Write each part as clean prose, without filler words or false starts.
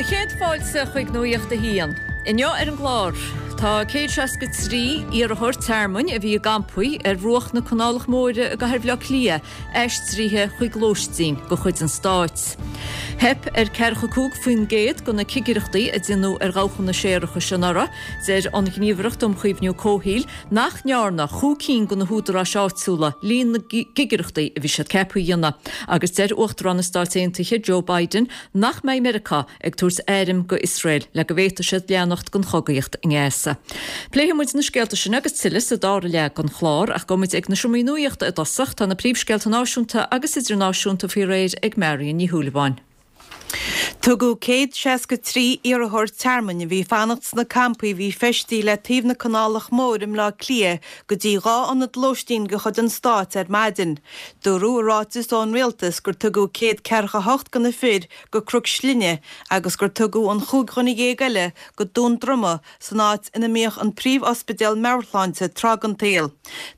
Do chéad fáilte chuig Nuacht a hAon. Inniu ar an gclár, tá 163 iarrthóir tearmainn a bhí i gcampaí ar bhruach na Canálach Móire i gcathair Bhaile Átha Cliath aistrithe chuig lóistín de chuid an stáit. Theip ar 45% de na cigireachtaí a déanadh ar dhabhcha séarachais anuraidh. Deir an Ghníomhaireacht um Chaomhnú Comhshaoil nach ndearna chúig cinn de na húdaráis áitiúla líon na gcigireachtaí a bhí siad ceaptha a dhéanamh agus deir Uachtarán na Stáit Aontaithe Joe Biden nach mbeidh Meiriceá ag tabhairt airm go Iosrael le go bhféadfaidh siad leanacht den chogaíocht i nGaza. Pléifidh muid na scéalta sin agus tuilleadh sa dara leath den chlár ach gabhfaidh muid ag na seomraí nuachta i dtosach. Tá na príomhscéalta náisiúnta agus idirnáisiúnta faoi réir ag Marion Ní Shúilleabháin. Tugadh 163 iarrthóir tearmainn a bhí ag fanacht sna campaí a bhí feistithe le taobh na Canálach Móire i mBleá Cliath go dtí 2 ionad lóistín de chuid an stáit ar maidin. Dúradh i ráiteas ón rialtas gur tugadh 148 de na fir go Cnoc Slinne agus gur tugadh an chúig dhuine dhéag eile go Dún Droma san áit ina mbíodh an príomh-ospidéal meabhairshláinte tráth den tsaol.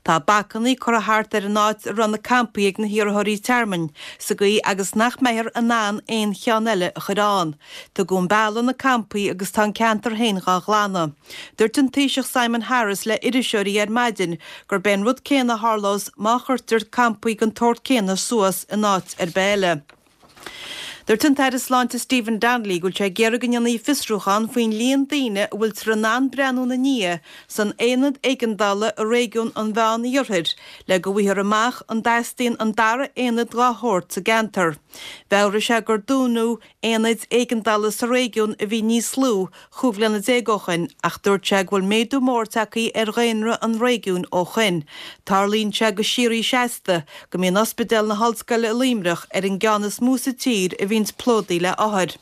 Tá bacannaí curtha thart ar an áit a raibh na campaí ag na hiarrthóirí tearmainn, sa gcaoi agus nach mbeifear in ann aon cheann eile a chur ann. Tugadh an bealach na campaí agus tá an ceantar féin dhá ghlanadh. Dúirt an Taoiseach Simon Harris le iriseoirí ar maidin gurb é an rud céanna a tharlós má chuirtear campaí den tsórt céanna suas in áit ar bith eile. Dúirt an tAire Sláinte Stephen Donnelly go bhfuil sé ag iarraidh go ndéanfaí fiosrúchán faoin líon daoine a bhfuiltear in ann breathnú ina ndiaidh san aonad éigeandála i réigiún an Mheán-Iarthair le go bhfaighfear amach an dteastaíonn an dara aonad dá shórt sa gceantar. Mheabhraigh sé gur dúnadh aonaid éigeandála sa réigiún a bhí níos lú 15 bhliana ó shoin ach dúirt sé go bhfuil méadú mór tagtha ar dhaonra an réigiúin ó shoin. Tarlaíonn sé go síoraí seasta go mbíonn Ospidéal na hOllscoile i Luimneach ar an gceann is mó sa tír a bhíonns plódaithe le othair.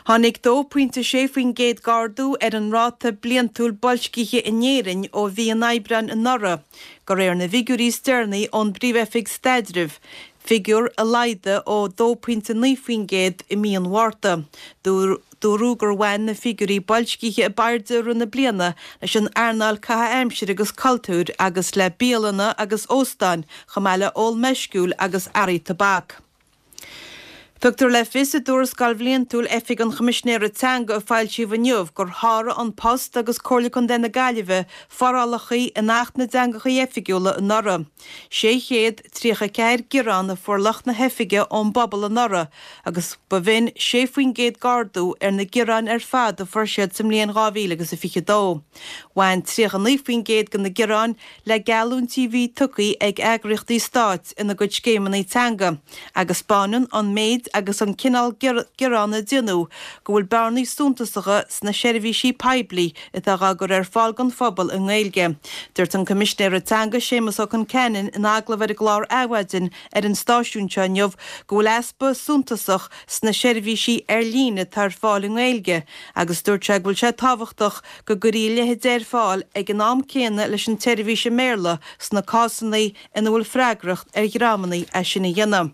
Tháinig 2.6% d'ardú ar an ráta bliantúil boilscithe in Éirinn ó mhí an Aibreáin anuraidh, de réir na bhfigiúirí is deireanaí ón bPríomh-Oifig Staidrimh, figiúr a laghdaigh ó 2.9% i mí an Mhárta. Dúradh gur bhain na figiúirí boilscithe ab airde i rith na bliana leis an earnáil caitheamh aimsire agus cultúir agus le bialanna agus óstáin chomh maith le ól meisciúil agus earraí tobac. Tugtar le fios i dtuarascáil bhliantúil Oifig an Choimisinéara Teanga a foilsíodh inniu gur sháraigh An Post agus Comhairle Contae na Gaillimhe forálacha in Acht na dTeangacha Oifigiúla anuraidh. 634 gearán a fuair lucht na hoifige ón bpobal anuraidh agus ba bh'in 6% d'ardú ar na gearáin ar fad a fuair siad sa mbliain 2022. Bhain 39% de na gearáin le geallúintí a bhí tugtha ag eagraíochtaí stáit ina gcuid scéimeanna teanga agus 'spáineann an méid agus an cineál gearán a déanadh go bhfuil bearnaí suntasacha sna seirbhísí poiblí atá dhá gcur ar fáil don phobal i nGaeilge. Dúirt an Coimisinéara Teanga Séamus Ó Conceanainn in agallamh ar an gclár Adhmhaidin ar an stáisiún seo inniu go bhfuil easpa suntasach sna seirbhísí ar líne atá ar fáil i nGaeilge agus dúirt sé go bhfuil sé tábhachtach go gcuirfí a leithéid ar fáil ag an am céanna leis an tseirbhís i mBéarla sna cásanna ina bhfuil freagracht ar dhreamanna é sin a dhéanamh.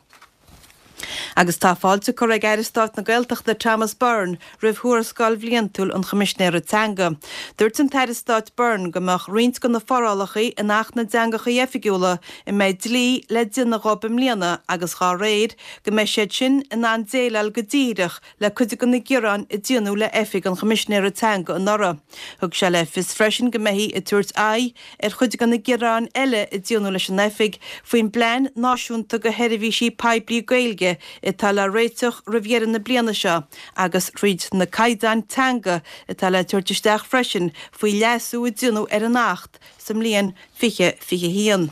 Agus tá fáilte curtha ag Aire Stáit na Gaeltachta Thomas Byrne roimh thuarascáil bhliantúil an Choimisinéara Teanga. Dúirt an tAire Stáit Byrne go mbeadh roinnt de na forálacha in Acht na dTeangacha Oifigiúla a mbeidh dlí le déanamh dhóibh i mbliana agus dhá réir go mbeidh siad sin in ann déileáil go díreach le cuid de na gearáin a déanadh le Oifig an Choimisinéara Teanga anuraidh. Thug sé le fios freisin go mbeifí ag tabhairt aghaidh ar chuid de na gearáin eile a déanadh leis an Oifig faoin bPlean Náisiúnta do Sheirbhísí Poiblí Gaeilge atá le réiteach roimh dheireadh na bliana seo agus thríd na caighdeáin teanga atá le tabhairt isteach freisin faoi leasú a déanadh ar an Acht sa mbliain 2021.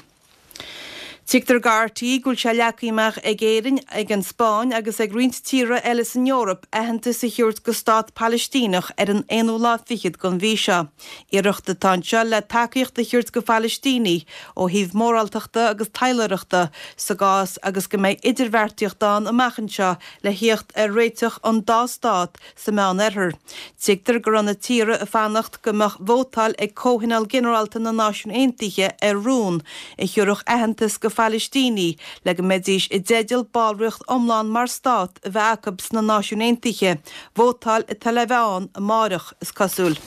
Tuigtear do RTÉ go bhfuil sé leagtha amach ag Éirinn, ag an Spáinn agus ag roinnt tíortha eile san Eoraip aitheantas a thabhairt do stát Palaistíneach ar an aonú lá fichead den mhí seo. Iarracht atá anseo le tacaíocht a thabhairt do Phalaistínigh ó thaobh móráltachta agus taidhleoireachta sa gcás agus go mbeidh idirbheartaíocht ann amach anseo le thíocht ar réiteach an dá stát sa Meán-Oirthear. Tuigtear go raibh na tíortha ag fanacht go mbeadh vótáil ag Comhthionól Ginearálta na Náisiún Aontaithe ar rún a thiúrfadh aitheantas go Phalaistínigh le go mbeidís i dteideal ballraíocht iomlán mar stát a bheith acu sna Náisiúin Aontaithe, vótáil atá le bheith ann amáireach, is cosúil.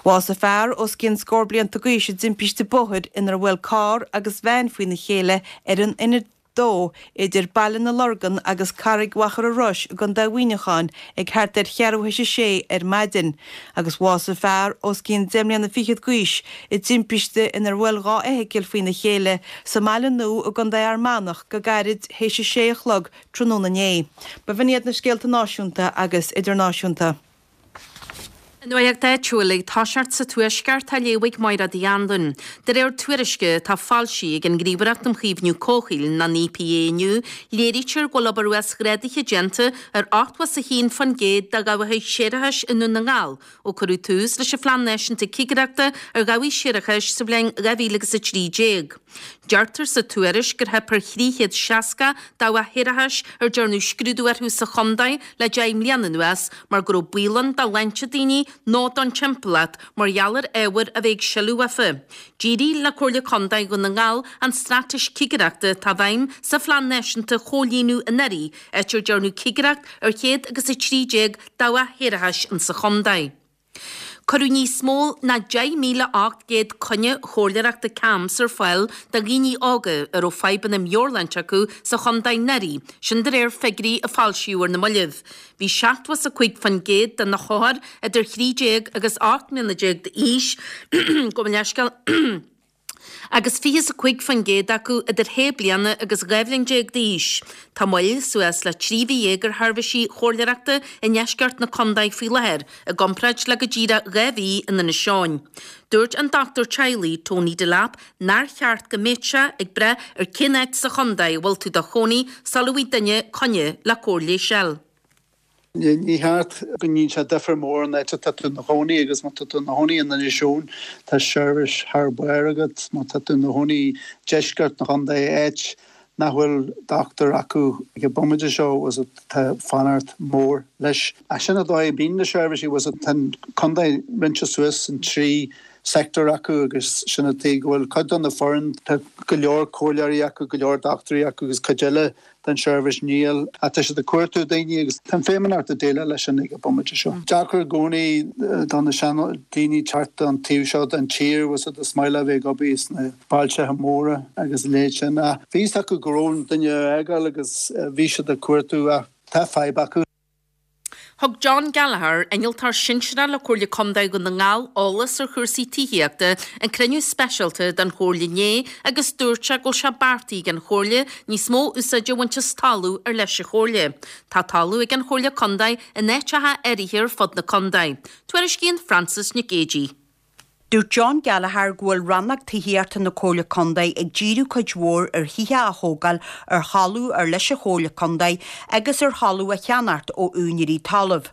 Bhásaigh fear os cionn scór blianta d'aois i dtimpiste bóthair inar bhuail carr agus veain faoina chéile ar an N. 2 idir Baile na Lorgan agus Carraig Mhachaire Rois i gContae Mhuineacháin ag thart ar cheathrú théis a sé ar maidin agus bhásaigh fear os cionn deich mbliana fichead d'aois i dtimpiste inar bhuail 2 fheithicil faoina chéile sa mBaile Nua i gContae Fhear Manach go gairid théis a sé a chlog tráthnóna inné. B'in iad na scéalta náisiúnta agus idirnáisiúnta. An Nuacht Áitiúil ag toiseacht sa Tuaisceart á léamh ag Máire Uí Anluain. De réir tuairisce atá foilsithe ag an nGníomhaireacht um Chaomhnú Comhshaoil, an EPA, inniu, léirítear go bhfuil obair uasghrádaithe déanta ar 81% de dhabhacha séarachais i nDún na nGall ó cuireadh tús leis an Phlean Náisiúnta Cigireachta ar Dhabhaigh Séarachais sa bhliain 2013. Deirtear sa tuairisc gur theip ar 360 dabhach shéarachais ar dearnadh scrúdú orthu sa chontae le 10 mbliana anuas mar go raibh baol ann do shláinte daoine nó don timpeallacht mar gheall ar ábhair a bheith ag sileadh uafa. D'éirigh le Comhairle Contae Dhún na nGall an straitéis cigireachta atá i bhfeidhm sa Phlean Náisiúnta a chomhlíonadh anuraidh, áit ar dearnadh cigireacht ar 113 dabhach shéarachais insa chontae. Cuireadh níos mó ná 10,800 coinne chomhairleoireachta CAMHS ar fáil do dhaoine óga a raibh fadhbanna meabhairshláinte acu sa chontae anuraidh, sin de réir figiúirí a foilsíodh ar na mallaibh. Bhí 75% de na hothair idir 13 agus 18 mbliana d'aois, gabh mo leithscéal, agus 25% acu idir shé bliana agus 12 bhliain d'aois. Tá moill suas le 13 mhí ar sheirbhísí chomhairleoireachta i ndeisceart na contae faoi láthair, i gcomparáid le go díreach 2 mhí in Inis Eoghain. Dúirt an dochtúir teaghlaigh, Tony Delap, nár cheart go mbeadh sé ag brath ar cén áit sa chontae a bhfuil tú do chónaí sula bhfaighidh duine coinne le cóir leighis a fháil. Ní cheart go ndéanfaidh sé difear mór an áit atá tú ina chónaí agus má tá tú ina chónaí in Inis Eoghain tá seirbhís thar barr agat, má tá tú ina chónaí i deisceart an chontae, áit nach bhfuil dochtúir acu ag an bomaite seo, tá fanacht mór leis. Ach sin an dóigh a bíonn na seirbhísí, tá an contae roinnte suas in 3 sector acu agus sin an tuige go bhfuil cuid de na foireann, tá go leor comhairleoirí acu, go leor dochtúirí acu agus cuid eile den seirbhís níl, ach tá siad ag cuartú daoine agus tá an Feidhmeannacht ag déileáil leis sin ag an bomaite seo. Deacair i gcónaí do na sean daoine teacht an taobh seo den tír, bhfuil a fhios agat, is maith leo a bheith ag obair sna bailteacha móra agus a leithéid sin ach bhí fhios acu go raibh duine á fhágáil agus bhí siad ag cuartú ach tá fadhb acu. Thug John Gallagher, Innealtóir Sinsearach le Comhairle Contae Dhún na nGall eolas ar chúrsaí tithíochta ag cruinniú speisialta den Chomhairle inné agus dúirt sé go bhfuil sé beartaithe ag an Chomhairle níos mó úsáide a bhaint as talamh ar leis an Chomhairle. Tá talamh ag an Chomhairle Contae in áiteacha áirithe ar fud na contae. Tuairiscíonn Frances Nic Géadaigh. Dúirt John Gallagher go bhfuil Rannóg Tithíochta na Comhairle Contae ag díriú cuid mhór ar thithe a thógáil ar thalamh ar leis an Chomhairle Contae agus ar thalamh a cheannacht ó úinéirí talaimh.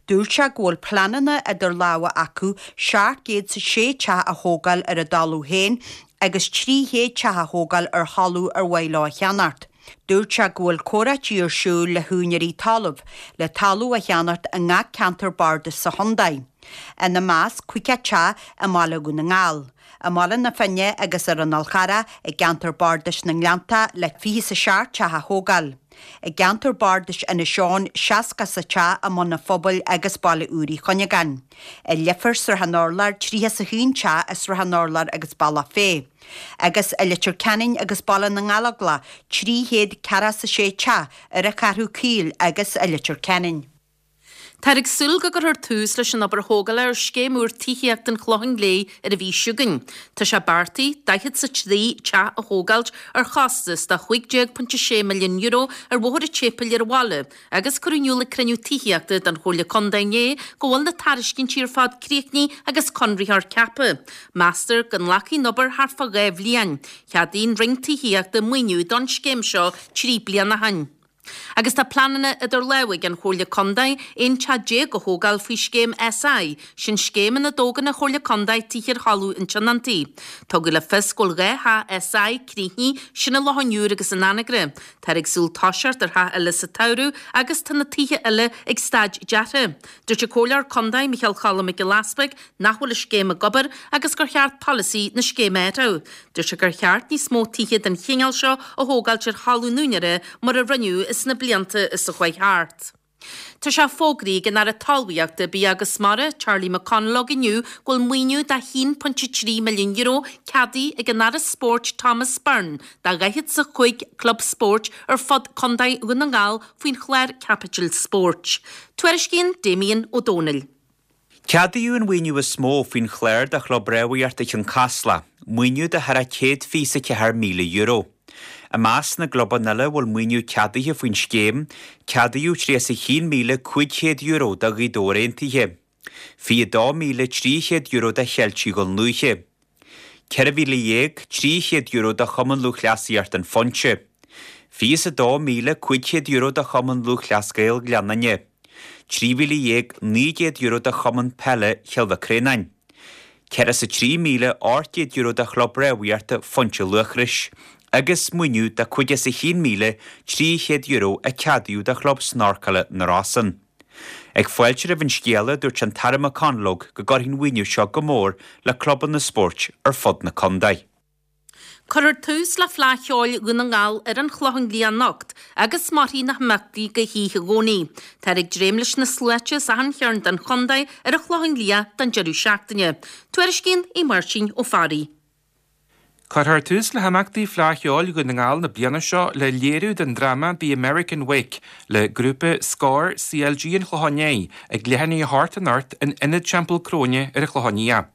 Dúirt sé go bhfuil pleananna idir lámha acu 706 teach a thógáil ar a dtalamh féin agus 300 teach a thógáil ar thalamh ar mhaith leo a cheannacht. Dúirt sé go bhfuil comhráití ar siúl le húinéirí talaimh le talamh a cheannacht i ngach ceantar bardais sa chontae. Ina measc, 50 teach i mbaile Dhún na nGall, i mBaile na Finne agus ar an Fhál Charrach i gceantar bardais na nGleanntach le 27 teach a thógáil. I gceantar bardais Inis Eoghain, 60 teach i mBun an Phobail agus Baile Úr Uí Chuinneagáin. I Leifear, Srath an Urláir, 31 teach i Srath an Urláir agus Bealach Féich. Agus i Leitir Ceanainn agus Baile na nGallóglach, 346 teach ar an Cheathrú Caol agus i Leitir Ceanainn. Táthar ag súil go gcuirfear tús leis an obair thógála ar scéim úr tithíochta an Chlocháin Léith ar an mhí seo chugainn. Tá sé beartaithe 43 teach a thógáilt ar chostas de €15.6 milliún ar Bhóthar an tSéipéil ar an bhaile agus cuireadh in iúl ag cruinniú tithíochta den Chomhairle Contae inné go bhfuil na tairiscintí ar fad críochnaithe agus conraitheoir ceaptha. Meastar go nglacfaidh an obair thart fá dhá bhliain. Cheadaigh an Roinn Tithíochta maoiniú don scéim seo 3 bliana ó shin. Agus tá pleananna idir lámha ag an Chomhairle Contae 11 teach a thógáil faoi scéim SI, sin scéim ina dtógann an Chomhairle Contae tithe ar thalamh an tionóntaí. Tugadh le fios go bhfuil 2 theach SI críochnaithe, sin i Loch an Iúir agus in Anagaire. Táthar ag súil toiseacht ar theach eile sa tsamhradh agus tá na tithe eile ag staid deartha. Dúirt an Comhairleoir Contae Micheál Choilm Mac Giolla Easpaig nach bhfuil an scéim ag obair agus gur cheart polasaí na scéime a athrú. Dúirt sé gur cheart níos mó tithe den chineál seo a thógáilt ar thalamh an úinéara mar a rinneadh sna blianta is a chuaigh thart. Tá sé fógraithe ag an Aire Talmhaíochta, Bia agus Mara, Charlie McConalogue inniu go bhfuil maoiniú de €1.3 milliún ceadaithe ag an Aire Spóirt Thomas Byrne do 45 club spóirt ar fud Contae Dhún na nGall faoin chlár caipitil spóirt. Tuairiscíonn Damien Ó Dónaill. Ceadaíodh an mhaoiniú is mó faoin chlár do Chlub Rámhaíochta Chionn Caslach, maoiniú de thar €124,000. I measc na gclubanna eile a bhfuil maoiniú ceadaithe faoin scéim, ceadaíodh €31,500 do Ghaoth Dobhair Aontaithe, €22,300 do Cheiltigh Dhún Lúiche, €14,300 do Chumann Lúthchleasaíocht An Phointe, €22,500 do Chumann Lúthchleas Gael Ghleann Fhinne, €13,900 do Chumann Peile Chill Mhic Réanáin, €403,800 do Chlub Rámhaíochta Phointe Luachrais agus maoiniú de €51,300 a ceadaíodh do Chlub Snorcála na Rosann. Ag fáiltiú roimh an scéala, dúirt an tAire McConalogue go gcuirfidh an mhaoiniú seo go mór le clubanna spóirt ar fud na contae. Cuirfear tús le Fleadh Cheoil Dhún na nGall ar an Chlochán Liath anocht agus mairfidh na himeachtaí go hoíche Dhomhnaigh. Táthar ag dréim leis na sluaite as achan chearn den chontae ar an Chlochán Liath don deireadh seachtaine. Tuairiscíonn Aodh Máirtín Ó Fearraigh. Cuirfear tús le himeachtaí Fleadh Cheoil Dhún na nGall na bliana seo le léiriú den dráma The American Wake le grúpa Scór CLG an Chlocháin Léith ag leath i ndiaidh a hocht anocht in Ionad Teampall Cróine ar an Chlochán Liath.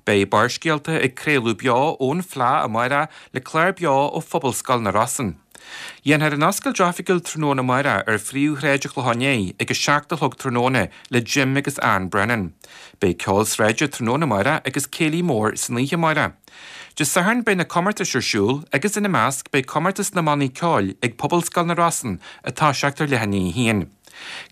Beidh Barrscéalta ag craoladh beo ón Fleadh amárach le clár beo ó Phobalscoil na Rosann. Dhéanfar an oscailt oifigiúil tráthnóna amárach ar phríomhshráid an Chlocháin Léith ag 7 a chlog tráthnóna le Jim agus Ann Brennan. Beidh ceol sráide tráthnóna amárach agus céilí mór san oíche amárach. Dé Sathairn beidh na comórtais ar siúl agus ina measc beidh comórtas na mbannaí ceoil ag Pobalscoil na Rosann ag toiseacht ar leath i ndiaidh a haon.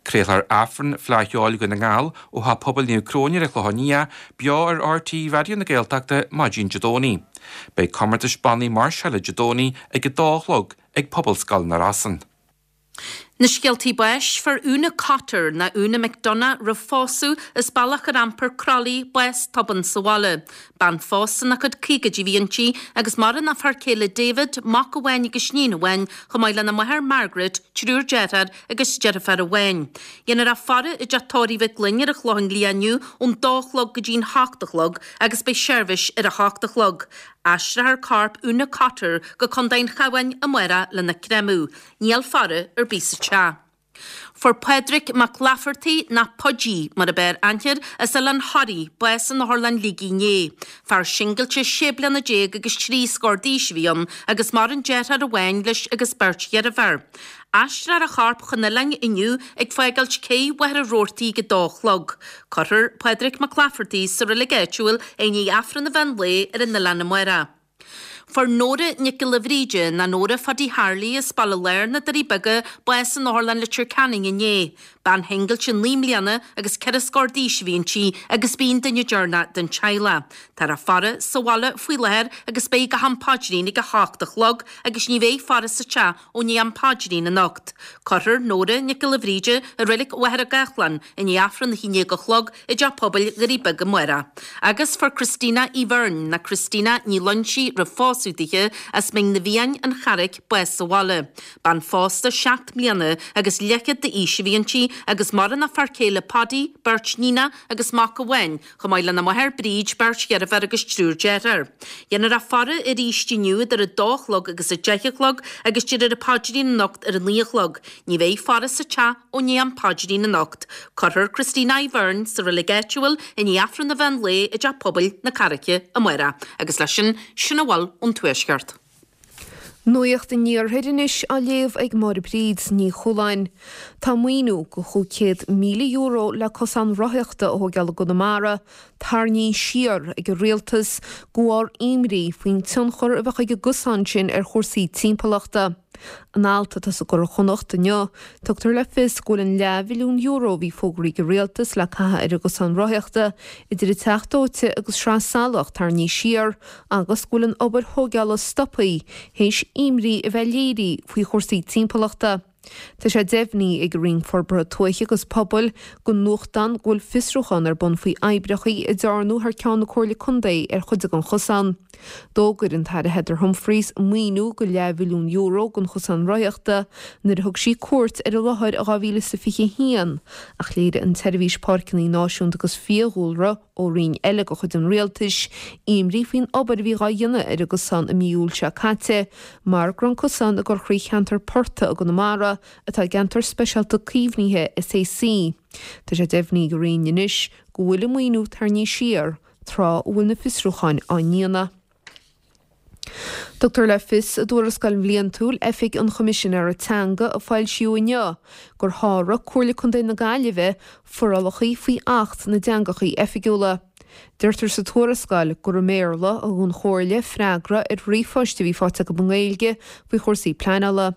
Craolfar Aifreann Fleadh Cheoil Dhún na nGall ó Theach Pobail Naomh Cróine ar an Chlochán Liath beo ar RTÉ Raidió na Gaeltachta maidin Dé Domhnaigh. Beidh comórtais bannaí máirseála Dé Domhnaigh ag a dó a chlog ag Pobalscoil na Rosann. Na scéaltaí báis, Fuair Úna Cotter, ná Úna McDonagh roimh phósadh, as Bealach ar Ampair, Crolly, bás tobann sa bhaile. Bean phósta ina cuid caogaidí a bhí inti agus maireann a fear céile David, mac amháin agus iníon amháin, chomh maith lena máthair Margaret, triúr deartháir agus deirfiúr amháin. Dhéanfar a faire i dteach tórraimh Mhic Fhloinn ar an Chlochán Liath inniu ón dó a chlog go dtí'n hocht a chlog agus beidh seirbhís ar a hocht a chlog. Aistreofar corp Úna Cotter go Contae an Chabháin amárach lena creimeadh. Níl faire ar bith sa teach. Fuair Pádraig Mac Laifeartaigh, ná Paidí mar ab fhearr aithne air, as Oileán Thoraí, bás in Otharlann Shligigh inné. Fear singilte sé bliana déag agus trí scór d'aois a bhí ann agus maireann deartháir amháin leis agus beirt dheirféar. Aistreofar a chorp chun an oileáin inniu ag fágáilt cé Mhachaire Rabhartaigh ag a dó a chlog. Cuirfear Pádraig Mac Laifeartaigh sa reilig áitiúil i ndiaidh Aifreann an mheán lae ar an oileán amárach. Fuair Nóra Nic Giolla Bhríde, ná Nóra Phadaí Tharlaigh as Baile Láir na Doirí Beaga, bás in Otharlann Leitir Ceanainn inné. Bean shingilte 9 mbliana agus ceithre scór d'aois a bhí inti agus b'í an duine deireanach den teaghlach. Táthar á faire sa bhaile faoi láthair agus beidh go ham paidrín ag a hocht a chlog agus ní bheidh faire sa teach ó ndiaidh am paidrín anocht. Cuirfear Nóra Nic Giolla Bhríde i Reilig Mhachaire Gathlán i ndiaidh Aifreann a haon déag a chlog i dTeach Pobail Dhoirí Beaga amárach. Agus fuair Christina Uí Bheirn, ná Christina Ní Loinsigh roimh phósadh dithe, as Mín na bhFiann, An Charraic, bás sa bhaile. Bean phósta seacht mbliana agus leathchéad d'aois a bhí inti agus maireann a fear céile Paddy, beirt níonach agus mac amháin, chomh maith lena máthair Bríd, beirt dheirféar agus triúr deartháir. Dhéanfar a faire arís inniu idir a dó a chlog agus a deich a chlog agus déarfar an paidrín anocht ar a naoi a chlog. Ní bheidh faire sa teach ó ndiaidh am paidrín anocht. Cuirfear Christina Uí Bheirn sa reilig áitiúil i ndiaidh Aifreann an mheán lae i dTeach Pobail na Carraice amárach. Agus leis sin, sin a bhfuil ón Tuaisceart. Nuacht an Iarthair anois á léamh ag Máire Bríd Ní Chualáin. Tá maoiniú de €500,000 le cosán rothaíochta a thóigeáil i gConamara tarraingthe siar ag an Rialtas de bharr imní faoin tionchar a bheadh ag an gcosán sin ar chúrsaí timpeallachta. In alt atá sa gCuradh Chonnacht inniu, tugtar le fios go bhfuil an leathmhilliún euro a bhí fógraithe ag an Rialtas le caitheamh ar an gcosán rothaíochta idir an Teach Dóite agus Sraith Salach tarraingthe siar agus go bhfuil an obair thóigeála stoptha théis imní a bheith léirithe faoi chúrsaí timpeallachta. Tá sé deimhnithe ag an Roinn Forbartha Tuaithe agus Pobail don nuachtán go bhfuil fiosrúchán ar bun faoi oibreacha a dearnadh thar ceann na Comhairle Contae ar chuid den chosán. D'fhógair an tAire Heather Humphreys maoiniú de leathmhilliún euro don chosán rothaíochta nuair a thug sí cuairt ar an láthair i 2021 ach léirigh an tSeirbhís Páirceanna Náisiúnta agus Fiadhúlra ó roinn eile de chuid an rialtais, imní faoin obair a bhí dhá dhéanamh ar an gcosán i mí Iúil seo caite, mar go raibh an cosán ag dul thrí cheantar portaigh i gConamara atá i gCeantar Speisialta Caomhnaithe, SAC. Tá sé deimhnithe ag an Roinn anois go bhfuil an maoiniú tarraingthe siar, tráth a bhfuil na fiosrúcháin á ndéanamh. Tugtar le fios i dtuarascáil bhliantúil Oifig an Choimisinéara Teanga a foilsíodh inniu gur sháraigh Comhairle Contae na Gaillimhe forálacha faoi Acht na dTeangacha Oifigiúla. Deirtear sa tuarascáil gur i mBéarla a thug an Chomhairle freagra ar ríomhphoist a bhí faighte acu i nGaeilge faoi chúrsaí pleanála.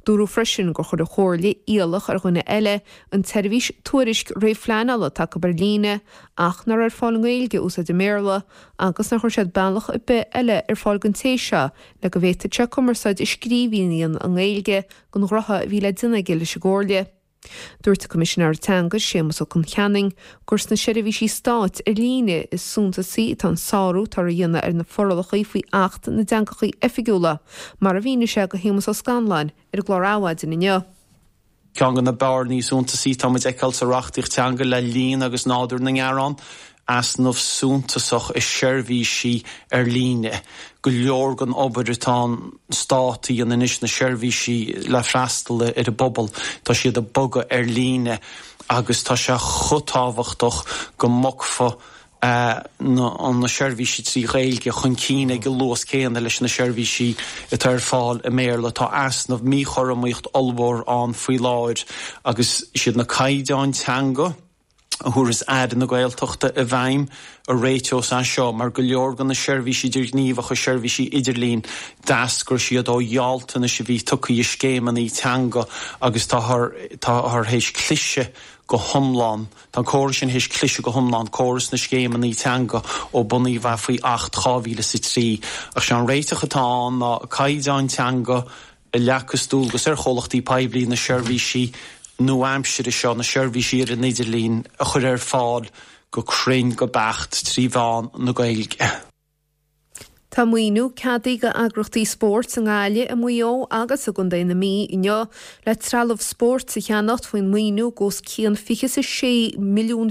Dúradh freisin gur chuir an Chomhairle iallach ar dhuine eile an tseirbhís tuairisc réamhphleanála atá acu ar líne ach nach raibh ar fáil i nGaeilge a úsáid i mBéarla agus nár chuir siad bealach ar bith eile ar fáil don té seo le go bhféadfadh sé cumarsáid i scríbhinn a dhéanamh i nGaeilge don ghnoithe a bhí le déanamh aige leis an gComhairle. Dúirt an Coimisinéir Teanga, Séamus Ó Concheanainn, gur sna seirbhísí stáit ar líne is suntasaí atá an sárú atá á dhéanamh ar na forálacha faoi Acht na dTeangacha Oifigiúla, mar a mhínigh sé do Shéamus Ó Scanláin ar an gclár Adhmhaidin inniu. Ceann de na bearnaí is suntasaí atá muid a fheiceáil sa reachtaíocht teanga le líon agus nádúr na ngearán, easnamh suntasach i seirbhísí ar líne. Go leor den obair atá an Stát a dhéanamh anois, na seirbhísí le freastal ar an bpobal, tá siad ag bogadh ar líne agus tá sé chomh tábhachtach go mbogfaí na seirbhísí trí Ghaeilge chun cinn ag an luas céanna leis na seirbhísí atá ar fáil i mBéarla. Tá easnamh, míchothromaíocht ollmhór ann faoi láthair agus is iad na caighdeáin teanga, a thabharfas Aire na Gaeltachta i bhfeidhm a réiteos é seo, mar go leor de na seirbhísí idirghníomhacha, seirbhísí idirlín, d'eascair siad ó ghealltanais a bhí tugtha i scéimeanna teanga agus táthar théis cliseadh go hiomlán, tá an córas sin théis cliseadh go hiomlán, córas na scéimeanna teanga ó bunaíodh é faoi Acht 2003. Ach sé an réiteach atá ann ná caighdeáin teanga, a leagfas dualgas ar chomhlachtaí poiblí na seirbhísí nua-aimsire seo, na seirbhísí ar an idirlíon, a chur ar fáil go cruinn, go beacht, trí mheán na Gaeilge. Tá maoiniú ceadaithe d'eagraíochtaí spóirt i nGaillimh, i Maigh Eo agus i gContae na Mí inniu le trealamh spóirt a cheannacht faoin maoiniú de os cionn €26 milliún a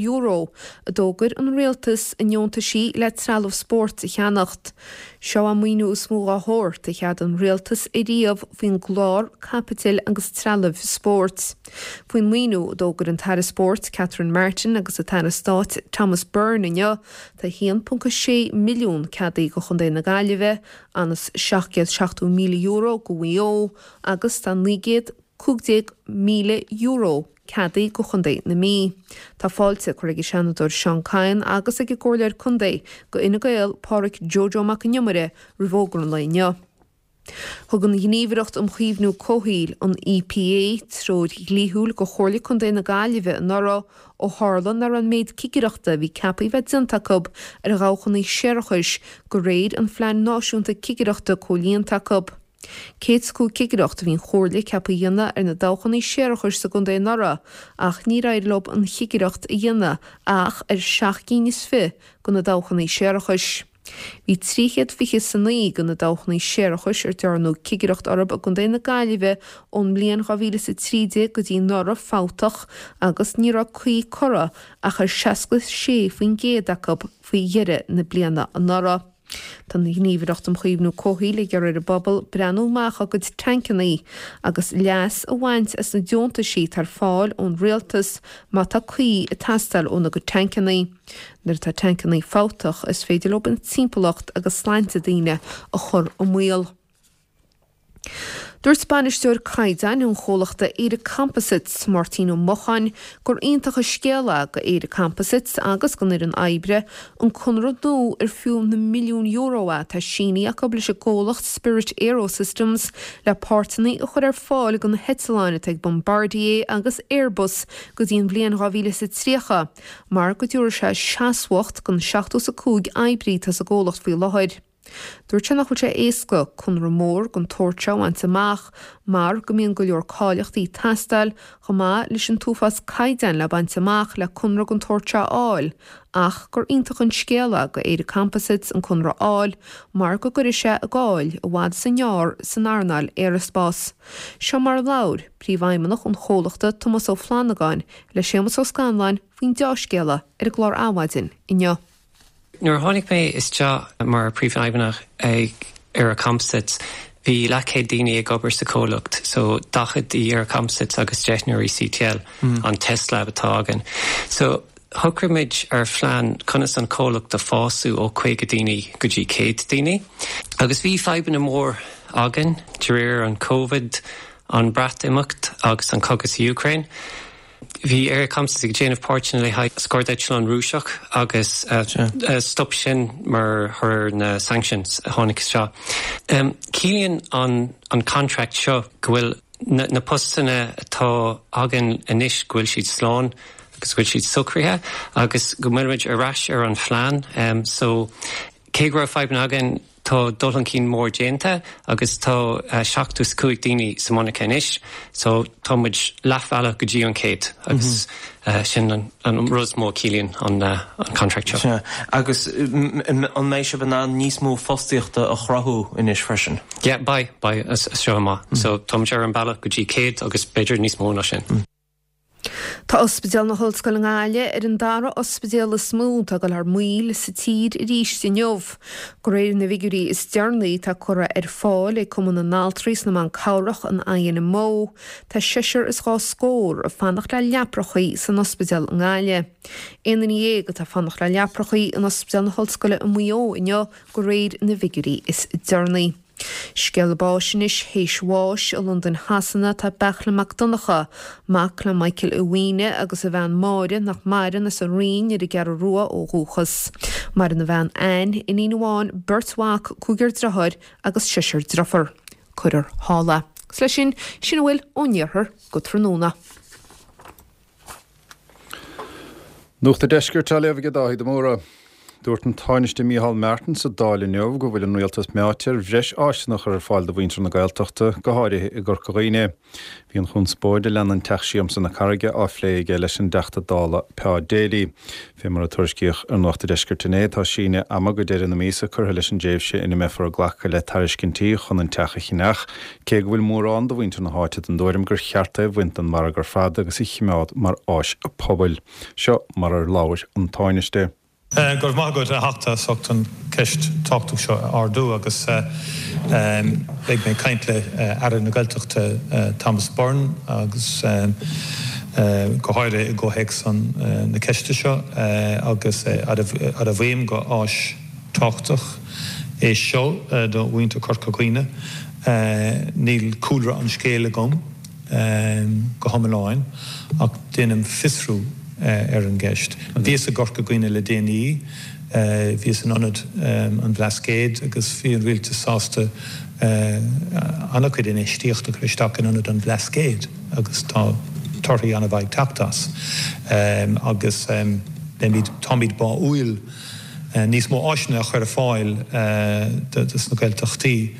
d'fhógair an Rialtas i ndeontaisí le trealamh spóirt a cheannacht. Seo an maoiniú is mó dá shórt a cheadaigh an Rialtas ariamh faoin gclár Caipitil agus Trealaimh Spóirt. Faoin maoiniú a d'fhógair an tAire Spóirt Catherine Martin agus an tAire Stáit Thomas Byrne inniu, tá €1.6 milliún ceadaithe do Chontae na Gaillimhe, anuas €770,000 do Mhaigh Eo agus tá €915,000 ceadaithe do Chontae na Mí. Tá fáilte curtha ag an Seanadóir Seán Kyne agus ag an gComhairleoir Contae do Fhine Gael, Pádraig Joe Joe Mac an Iomaire roimh fhógra an lae inniu. Thug an Ghníomhaireacht um Chaomhnú Comhshaoil, an EPA, treoir dhlíthiúil do Chomhairle Contae na Gaillimhe anuraidh ó tharla nach raibh an méid cigireachta a bhí ceaptha a bheith déanta acu ar dhabhchanna séarachais de réir an Phlean Náisiúnta Cigireachta comhlíonta acu. 105 cigireacht a bhí an Chomhairle ceaptha a dhéanamh ar na dabhchanna séarachais sa gcontae anuraidh ach níor éirigh leo an chigireacht a dhéanamh ach ar sheacht gcinn is fi de na dabhchanna séarachais. Bhí 329 de na dabhchanna séarachais ar dearnadh cigireacht orthu i gContae na Gaillimhe ón mbliain 2013 go dtí anuraidh fabhtach agus ní raibh caoi curtha ach ar 66% acu faoi dheireadh na bliana anuraidh. Tá an Ghníomhaireacht um Chaomhnú Comhshaoil ag iarraidh ar an bpobal breathnú amach dá gcuid tancannaí agus leas a bhaint as na deontaisí atá ar fáil ón rialtas má tá caoi ag teastáil óna gcuid tancannaí. Nuair atá tancannaí fabhtach is féidir leo an timpeallacht agus sláinte daoine a chur i mbaol. Dúirt Bainisteoir Caighdeáin an chomhlachta ÉireComposites, Máirtín Ó Mocháin, gur iontach an scéal é do ÉireComposites agus don fhoireann oibre an conradh nua ar fiú na milliúin euro é atá sínithe acu leis an gcomhlacht Spirit AeroSystems le páirteanna a chur ar fáil do na heitleáin atá ag Bombardier agus Airbus go dtí an bhliain 2030 mar go dtabharfaidh sé seasmhacht don 75 oibrí atá sa gcomhlacht faoi láthair. Dúirt sé nach bhfuil sé éasca conradh mór den tsórt seo a bhaint amach mar go mbíonn go leor cáilíochtaí ag teastáil chomh maith leis an t-uafás caighdeáin le baint amach le conradh den tsórt seo a fháil ach gur iontach an scéal é go ÉireComposites an conradh a fháil mar go gcuirfidh sé a gcáil i bhfad is i ngearr san earnáil aeraspáis. Seo mar a labhair Príomhfheidhmeannach an chomhlachta Tomás Ó Flannagáin le Séamus Ó Scanláin faoin deá-scéala ar an gclár Adhmhaidin inniu. Nuair a tháinig mé isteach mar Príomhfheidhmeannach ag ÉireComposites bhí leathchéad daoine ag obair sa chomhlacht, so 40 i ÉireComposites agus deichniúr i CTL, an test lab atá againn. So shocraigh muid ar phlean conas an comhlacht a fású ó 50 daoine go dtí 100 daoine. Agus bhí fadhbanna mór againn de réir an Covid, an Breatimeacht agus an cogadh sa Úcráin. Bhí ÉireComposites ag déanamh páirteanna le haghaidh scairdeitleán Rúiseach agus stop sin mar thoradh ar na sanctions a tháinig isteach. Ciallaíonn an contract seo go bhfuil na postanna atá againn anois go bhfuil siad slán agus go bhfuil siad socraithe agus go bhfuilimid ar ais ar an phlean. So cé go raibh fadhbanna againn, Tá dul chun cinn mór déanta agus tá 75 daoine sa monarcha anois so tá muid leathbhealach go dtí an 100 agus sin an rud is mó a chiallaíonn an contract seo. Sea, agus an mbeidh sibh in ann níos mó fostaíochta a chruthú anois freisin? Yeah, beidh, beidh as seo amach. So tá muid ar an bealach go dtí 100 agus b'fhéidir níos mó ná sin. Tá Ospidéal na hOllscoile i nGaillimh ar an dara ospidéal is mó atá ag dul thar maoil sa tír arís inniu. De réir na bhfigiúirí is deireanaí atá curtha ar fáil ag Cumann na nAltraí is na mBan Cabhrach, an INMO, tá seisear is dhá scór ag fanacht le leaprachaí san ospidéal i nGaillimh. Aon duine dhéag atá ag fanacht le leaprachaí in Ospidéal na hOllscoile i Maigh Eo inniu de réir na bhfigiúirí is deireanaí. Scéala báis anois théis bháis i Londain Shasana tá Beartla Mac Donncha, mac le Michael Uí Mhaonaigh agus a bhean Máire nach maireann as an Rinn ar an gCeathrú Rua ó dhúchas. Maireann a bhean Anne, iníon amháin, beirt mhac, cúigear driotháir agus seisear driofar. Cuirfear thall é. Agus leis sin, sin a bhfuil ón iarthar go tráthnóna. Nuacht an Deiscirt á léamh aige Dáithí de Mórdha. Dúirt an Tánaiste Micheál Martin sa Dáil inniu go bhfuil an rialtas meáite ar bhreis áiseanna a chur ar fáil do mhuintir na Gaeltachta, go háirithe i gCorca Dhuibhne. Bhí an chonspóid a leanann Teach Siamsa na Carraige á phlé aige leis an dTeachta Dála Pa Daly. Fé mar a tuairiscíodh ar Nuacht an Deiscirt inné, tá síneadh ama go deireadh na míosa curtha leis an dtréimhse ina mbeifear ag glacadh le tairiscintí chun an teach a cheannach, cé go bhfuil mórán de mhuintir na háite den dtuairim gur cheart é a bhaint den mhargadh ar fad agus a chimeád mar áis pobail. Seo mar ar labhair an Tánaiste. Go raibh maith agat, a Theachta, as ucht an ceist tábhachtach seo a ardú agus beidh mé ag caint le Aire na Gaeltachta Thomas Byrne agus go háirithe i gcomhthéacs na ceiste seo agus admhaím gur áis tábhachtach é seo do mhuintir Chorca Dhuibhne. Níl cúlra an scéil agam go hiomlán ach déanaim fiosrú ar an gceist. Bhíos i gCorca Dhuibhne le déanaí, bhíos in Ionad an Bhlascaoid agus bhí an rialtas sásta an-chuid infheistíocht a chur isteach in Ionad an Bhlascaoid agus tá torthaí an-mhaith ag teacht as agus beimid, táimid báúil níos mó áiseanna a chur ar fáil dos na Gaeltachtaí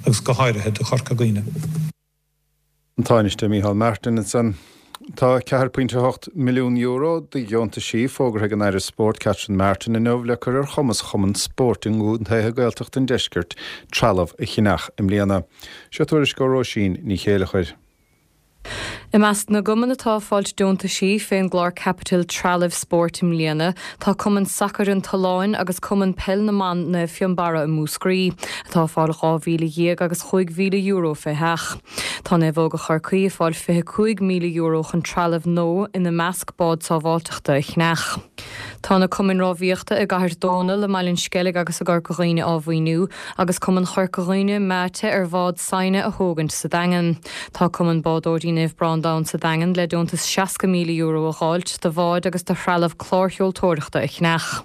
agus go háirithe do Chorca Dhuibhne. An Tánaiste Micheál Martin ansan. Tá €4.8 milliún de dheontaisí fógartha ag an Aire Spóirt Catherine Martin inniu le cur ar chumas chumainn spóirt i gcontaetha Gaeltachta an deiscirt trealamh a cheannach i mbliana. Seo tuairisc ó Róisín Ní Chéileachair. I measc na gcumann atá ag fáilt deontaisí fén gclár caipitil trealaimh spóirt i mbliana tá Cumann Sacair an tSuláin agus Cumann Peil na mBan Naomh Fionnbarra i Múscraí, atá ag fáil €12,000 agus €5,000 fé sheach. Tá Naomhóga Chorcaí ag fáil €25,000 chun trealamh nua, ina measc bád sábháilteachta, a cheannach. Tá na cumainn rámhaíochta i gCathair Dónall, i mBaile an Sceilg agus i gCorca Dhuibhne á mhaoiniú agus Cumann Chorca Dhuibhne meáite ar bhád saighne a thógaint sa Daingean. Tá Cumann Bádóirí Naomh Breandán sa Daingean le deontas €60,000 a dh'fháilt do bháid agus do threalamh clársheoltóireachta a cheannach.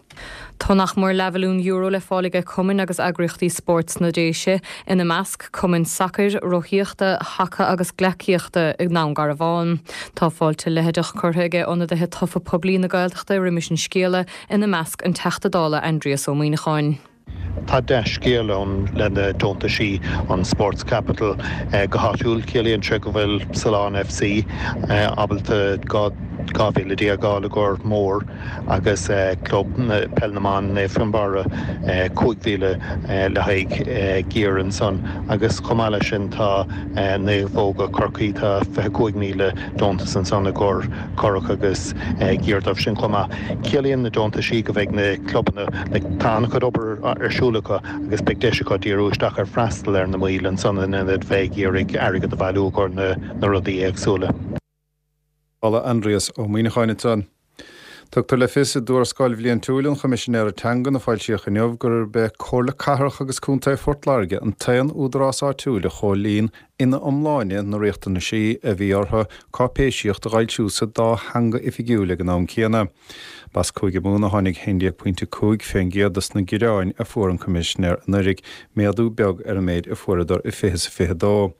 Tá nach mór leathmhilliún euro le fáil aige cumainn agus eagraíochtaí spóirt sna Déise, ina measc, cumainn sacair, rothaíochta, haca agus gleacaíochta i nDún Garbhán. Tá fáilte leitheadach curtha aige ionadaithe tofa poiblí na Gaeltachta roimis an scéala, ina measc an Teachta Dála Aindrias Ó Muíneacháin. Tá dea-scéal ann le na deontaisí an Sports Capital go háitiúil. Ciallaíonn sé go bhfuil Sullán FC ábalta 12,000 a fháil i gcomhair mór agus Club Peil na mBan Naomh Fionnbarra 5,000 le haghaidh gear ansan agus chomh maith leis sin tá Naomhóga Chorcaí tá 25,000 deontas ansan i gcomhair curach agus gear dóibh sin chomh maith. Ciallaíonn na deontaisí go bheidh na clubanna, like, tá an-chuid obair ar siúl acu agus beidh deis acu díriú isteach ar freastal ar na mbaill ansan in ionad bheith ag iarraidh airgead a bhailiú i gcomhair na rudaí éagsúla. Dála Aindrias Ó Muimhneacháin ansan. Tugtar le fios i dTuarascáil Bhliaintiúil an Choimisinéara Teangan a foilsíodh inniu gurb é Comhairle Cathrach agus Contae Phort Láirge an t-aon údarás áitiúil a chomhlíon ina iomláine na riachtanaisí a bhí orthu cáipéisíocht a fhoilsiú sa dá theanga oifigiúil ag an am céanna. B'as Cúige Mumhan a tháinig 11.5% dos na gearáin a fuair an Coimisinéir anuraidh, méadú beag ar an méid a fuaireadar i 2022.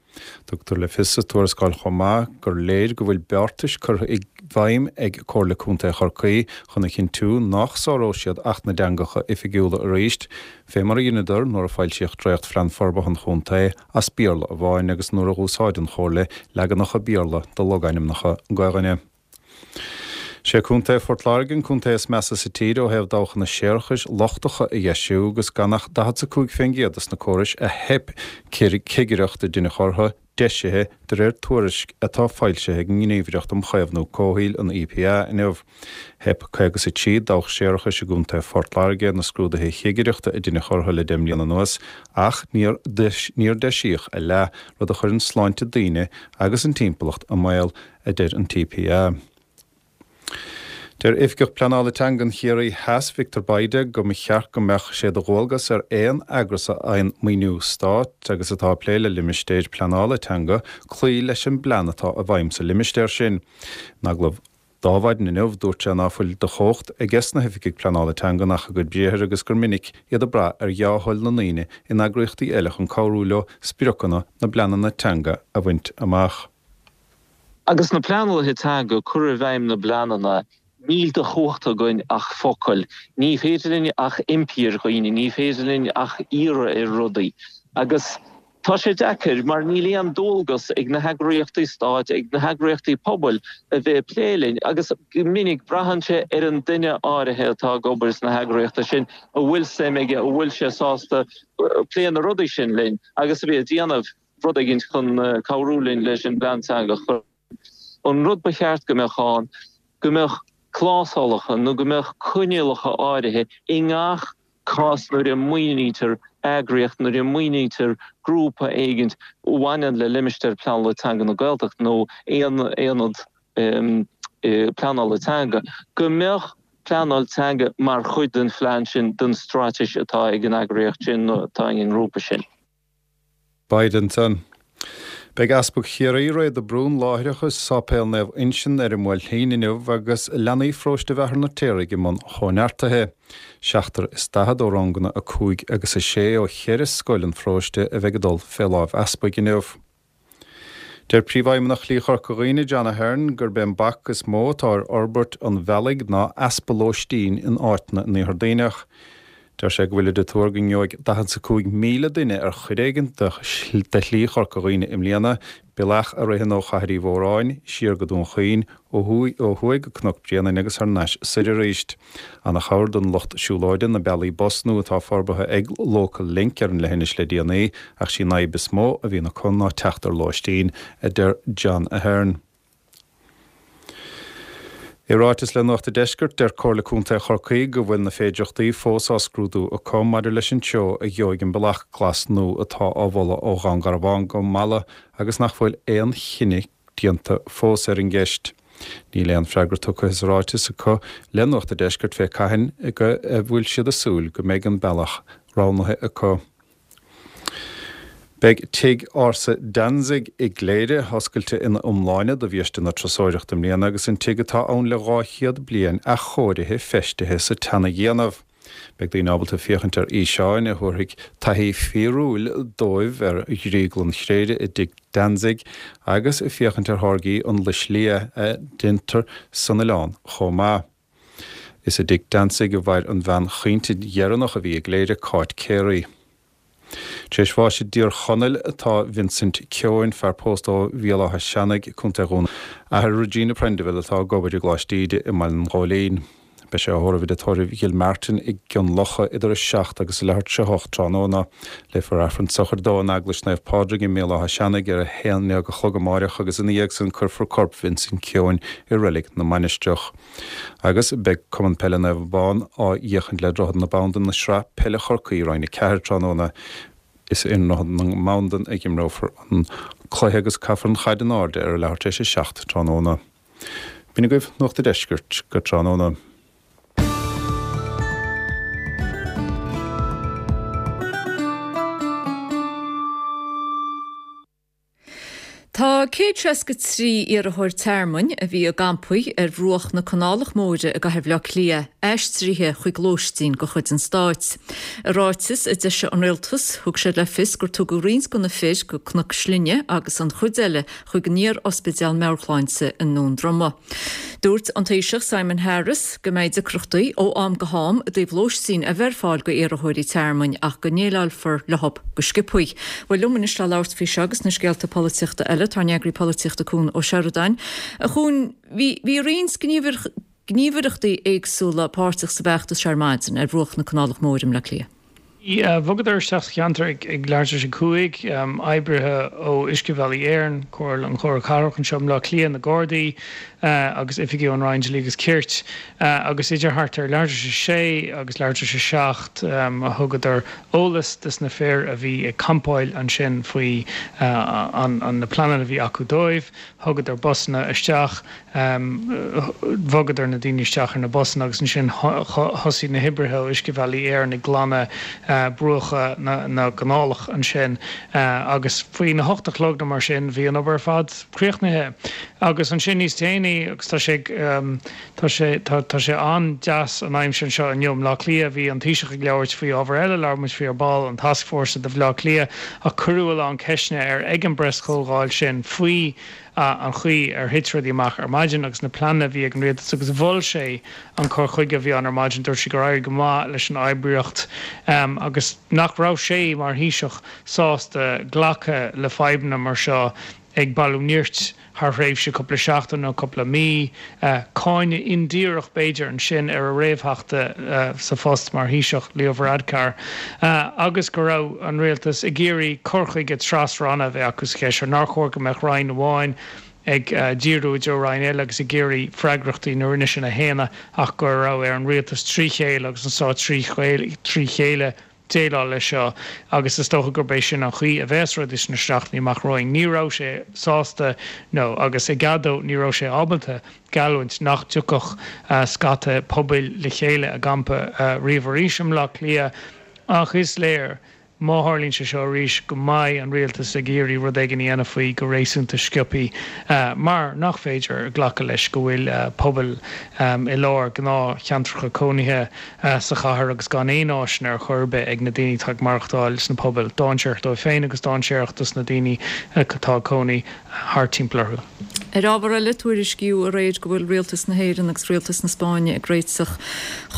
Tugtar le fios sa tuarascáil chomh maith gur léir go bhfuil beartais curtha i bhfeidhm ag Comhairle Contae Chorcaí chun a chinntiú nach sáróidh siad Acht na dTeangacha Oifigiúla arís, fé mar a dheineadar nuair a foilsíodh dréachtphlean forbartha an chontae as Béarla amháin agus nuair a dh'úsáid an Chomhairle leaganacha Béarla de logainmneacha Gaelainne. Sé Contae Phort Láirge an contae is measa sa tír ó thaobh dabhchanna séarachais lochtacha a dheisiú agus gan ach 45 fén gcéad dos na córais a theip cigireacht a deineadh orthu deisithe de réir tuairisc atá foilsithe ag an nGníomhaireacht um Chaomhnú Comhshaoil, an EPA, inniu. Theip 53 dabhach séarachais i gContae Phort Láirge ar na scrúduithe chigireachta a deineadh orthu le deich mbliana anuas ach níor níor deisíodh a leath, rud a chuireann sláinte daoine agus an timpeallacht i mbaol, a deir an TPA. Deir Oifigeach Pleanála Teangan Chiarraí Theas, Victor Bayda, go mba cheart go mbeadh sé de dhualgas ar aon eagras a fhaigheann maoiniú stáit agus atá ag plé le limistéir pleanála teanga cloí leis an bplean atá i bhfeidhm sa limistéar sin. In agallamh d'Adhmhaidin inniu, dúirt sé ná fuil de chumhacht aiges na hoifigigh pleanála teangan ach a gcuid briathair agus gur minic iad ag brath ar dhea-thoil na ndaoine in eagraíochtaí eile chun cabhrú leo spriocanna na bpleananna teanga a bhaint amach. Agus na pleanálaithe teanga ag cur i bhfeidhm na bpleananna, níl de chumhacht againn ach focail. Ní féidir linn ach impí ar dhaoine, ní féidir linn ach iarraidh ar rudaí. Agus tá sé deacair mar níl aon dualgas ag na heagraíochtaí stáit, ag na heagraíochtaí pobail a bheith ag plé linn. Agus go minic braitheann sé ar an duine áirithe atá ag obair sna heagraíochtaí sin, a bhfuil suim aige, a bhfuil sé sásta plé na rudaí sin linn agus a bheith ag déanamh. rud éigin chun cabhrú linn leis an bplean teanga a chur. An rud ba cheart go mbeadh ann, go mbeadh clásálacha nó go mbeadh coinníollacha áirithe i ngach cás nuair a maoinítear eagraíocht, nuair a maoinítear grúpa éigin a bhaineann le limistéar pleanála teanga na Gaeltachta nó aon aonad pleanála teanga, go mbeadh pleanáil teanga mar chuid den phlean sin, den straitéis atá ag an eagraíocht sin nó atá ag an ngrúpa sin. Bayda ansan. Beidh Easpag Chiarraí, Ray de Brún, láithreach i Sáipéal Naomh Uinseann ar an mBuailtín inniu agus leanaí pharóiste Mhachaire na Feirtéaraigh i mbun chóineartaithe. 47 ó ranganna 5 agus 6 ó cheithre scoil an pharóiste a bheidh ag dul fé láimh easpaig inniu. Deir Príomhfheidhmeannach Shlí Chorca Dhuibhne, John Ahern, gurb é an bac is mó atá ar fhorbairt an bhealaigh ná easpa lóistín in áiteanna in Iarthar Duibhneach. Deir sé go bhfuilid ag tuar go ngeobhaidh 45,000 duine ar chuid éigin de Shlí Chorca Dhuibhne i mbliana, bealach a ritheann ó Chathair Uí Mhóráin siar go Dún Chaoin, ó thuaidh go Cnoc Bréanainn agus thar n-ais soir arís. Ana-chabhair don lucht siúlóide na bealaí bus nua atá forbartha ag Local Link ar an leithinis le déanaí ach sí an fhadhb is mó a bhíonn acu ná teacht ar lóistín, a deir John Ahern. I ráiteas le Nuacht a' Deiscirt, deir Comhairle Contae Chorcaí go bhfuil na féidireachtaí fós á scrúdú acu maidir leis an treo a gheobhaidh an bealach glas nua atá á mholadh ó Dhún Garbhán go Mala agus nach bhfuil aon chinneadh déanta fós ar an gceist. Níl aon freagra tugtha sa ráiteas acu le Nuacht a' Deiscirt fé cathain a bhfuil siad ag súil go mbeidh an bealach roghnaithe acu. Beidh Tigh Ársa Danzig i gCléire oscailte ina iomláine do bhiaiste na turasóireachta i mbliana agus an tigh atá ann le 200 bliain athchóirithe feistithe sa tseana-dhéanamh. Beidh daoine ábalta féachaint ar fhíseáin a thabharfaidh taithí fíorúil dóibh ar dhrioglann Chléire i dTigh Danzig agus féachaint ar tháirgí an Lios Liath a dhéantar san oileán chomh maith. Is i dTigh Danzig a mhair an bhean chaointe dheireanach a bhí i gCléire, Cáit Carey. Tar éis bháis i dTír Chonaill atá Vincent Keohane, fear pósta ó Bhéal Átha Seanaidh, Co. Dhún Athair Regina Prendiville atá ag obair i gColáiste Íde i mBaile an Ghóilín. Beidh sé á thórramh i dTigh Tórraimh Ghill Martin i gCionn Locha idir 7 agus a leathuair tar éis 8 tráthnóna. Léifear Aifreann sochraide dó in Eaglais Naomh Pádraig i mBéal Átha Seanaidh ar a 11 a chlog amáireach agus ina dhiaidh san cuirfear corp Vincent Keohane i Reilig na Mainistreach. Agus beidh Cumann Peile Naomh Abán á fhéachaint le Droichead na Bandan i Sraith Peile Chorcaí Roinn 4 tráthnóna. Is i nDroichead na mBandan a imreofar an cluiche agus caithfear an chaid in airde ar a leathuair tar éis a 7 tráthnóna. B'in agaibh Nuacht a' Deiscirt go tráthnóna. Tá 163 iarrthóir tearmainn a bhí i gcampaí ar bhruach na Canálach Móire i gcathair Bhaile Átha Cliath aistrithe chuig lóistín de chuid an stáit. I ráiteas a d'eisigh an Rialtas, thug siad le fios gur tugadh roinnt de na fir go Cnoc Slinne agus an chuid eile chuig an iar-ospidéal meabhairshláinte i nDún Droma. Dúirt an Taoiseach Simon Harris go mbeidh deacrachtaí ó am go ham i dtaobh lóistín a bheith ar fáil go iarrthóirí tearmainn ach go ndéileálfar leo go sciobtha. Bhuel liom anois le labhairt faoi seo agus na scéalta polaitíochta eile tá ár n-eagraí polaitíochta Cuan Ó Seireadáin. A Chuain, bhí bhí roinnt gníomhaireachtaí éagsúla páirteach sa bhfeachtas seo ar maidin ar bhruach na Canálach Móire i mBleá Cliath. Bhí, bhogadar isteach sa cheantar ag ag leathuair tar éis a 5, oibrithe ó Uiscebhealaí Éireann, Comhairle an Chomhairle Cathrach anseo i mBleá Cliath, na Gardaí agus oifigigh ón Roinn Dlí agus Cirt agus idir thart ar leathuair tar éis a sé agus leathuair tar éis a seacht a thugadar eolas dos na fir a bhí ag campáil ansin faoi na pleananna a bhí acu dóibh. Thugadar busanna isteach, bhogadar na daoine isteach ar na busanna agus ansin thosaigh na hoibrithe ó Uiscebhealaí Éireann ag glanadh bruacha na gcanálach ansin agus faoina hocht a chlog nó mar sin bhí an obair ar fad críochnaithe. Agus ansin níos déanaí, agus tá sé ag. Tá sé, tá, tá sé an-deas an aimsir anseo inniu i mBleá Cliath. Bhí an Taoiseach ag labhairt faoi ábhar eile, labhair muid faoi ar ball, an Tascfhórsa do Bhleá Cliath, ach cuireadh a lán ceisteanna air ag an bpreaschomhdháil sin faoi an chaoi ar thit rudaí amach ar maidin agus na pleananna a bhí ag an rialtas agus mhol sé an cur chuige a bhí ann ar maidin. Dúirt sé gur éirigh go maith leis an oibríocht agus nach raibh sé mar Thaoiseach sásta glacadh le fadhbanna mar seo ag bailiú nirt thar thréimhse cúpla seachtain nó cúpla mí, cáineadh indíreach b'fhéidir ansin ar a réamhtheachta sa phost mar Thaoiseach, Leo Varadkar, agus go raibh an rialtas ag iarraidh cur chuige tras-ranna a bheith acu sa cheist seo, nár chóir go mbeadh roinn amháin ag díriú i dtreo roinn eile agus ag iarraidh freagrachtaí na roinne sin a shéanadh ach go raibh ar an rialtas trí chéile agus an stát trí chéile déileáil leis seo agus is dócha gurb é sin an chaoi a bheas rudaí sna seachtainí amach romhainn. Ní raibh sé sásta nó, agus i gcead dó, ní raibh sé ábalta geallúint nach dtiocfadh scata pobail le chéile i gcampa riamh arís i mBleá Cliath ach is léir má tharlaíonn sé seo arís go mbeidh an rialtas ag iarraidh rud éigin a dhéanamh faoi go réasúnta sciobtha mar nach féidir glacadh leis go bhfuil pobail i lár gnáthcheantracha cónaithe sa chathair agus gan aon áiseanna ar chor ar bith ag na daoine atá ag maireachtáil sna pobail. Dainséarach dóibh féin agus dainséarach dos na daoine atá ag cónaí thart timpeall orthu. Ar ábhar eile, tuairiscíodh aréir go bhfuil Rialtas na hÉireann agus Rialtas na Spáinne ag réiteach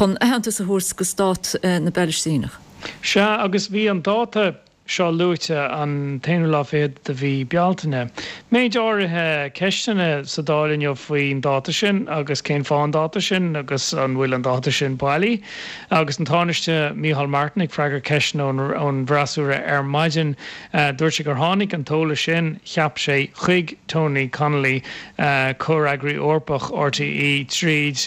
chun aitheantas a thabhairt do stát na bPalaistíneach. Sea, agus bhí an dáta seo luaite, an t-aonú lá fichead de mhí Bealtaine. Méid áirithe ceisteanna sa Dáil inniu faoin dáta sin agus cén fáth an dáta sin agus an bhfuil an dáta sin bailí. Agus an Tánaiste Micheál Martin ag freagairt ceisteanna ón bhfreasúra ar maidin, dúirt sé gur tháinig an t-eolas sin, cheap sé, chuig Tony Connelly, Comhfhreagraí Eorpach RTÉ, tríd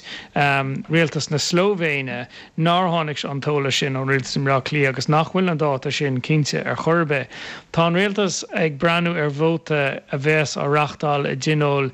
rialtas na Slóivéine. nár tháinig an t-eolas sin ón Rialtas i mBleá Cliath agus nach bhfuil an dáta sin cinnte ar chor ar bith. Tá an Rialtas ag breathnú ar vóta a bheas á reáchtáil i dTionól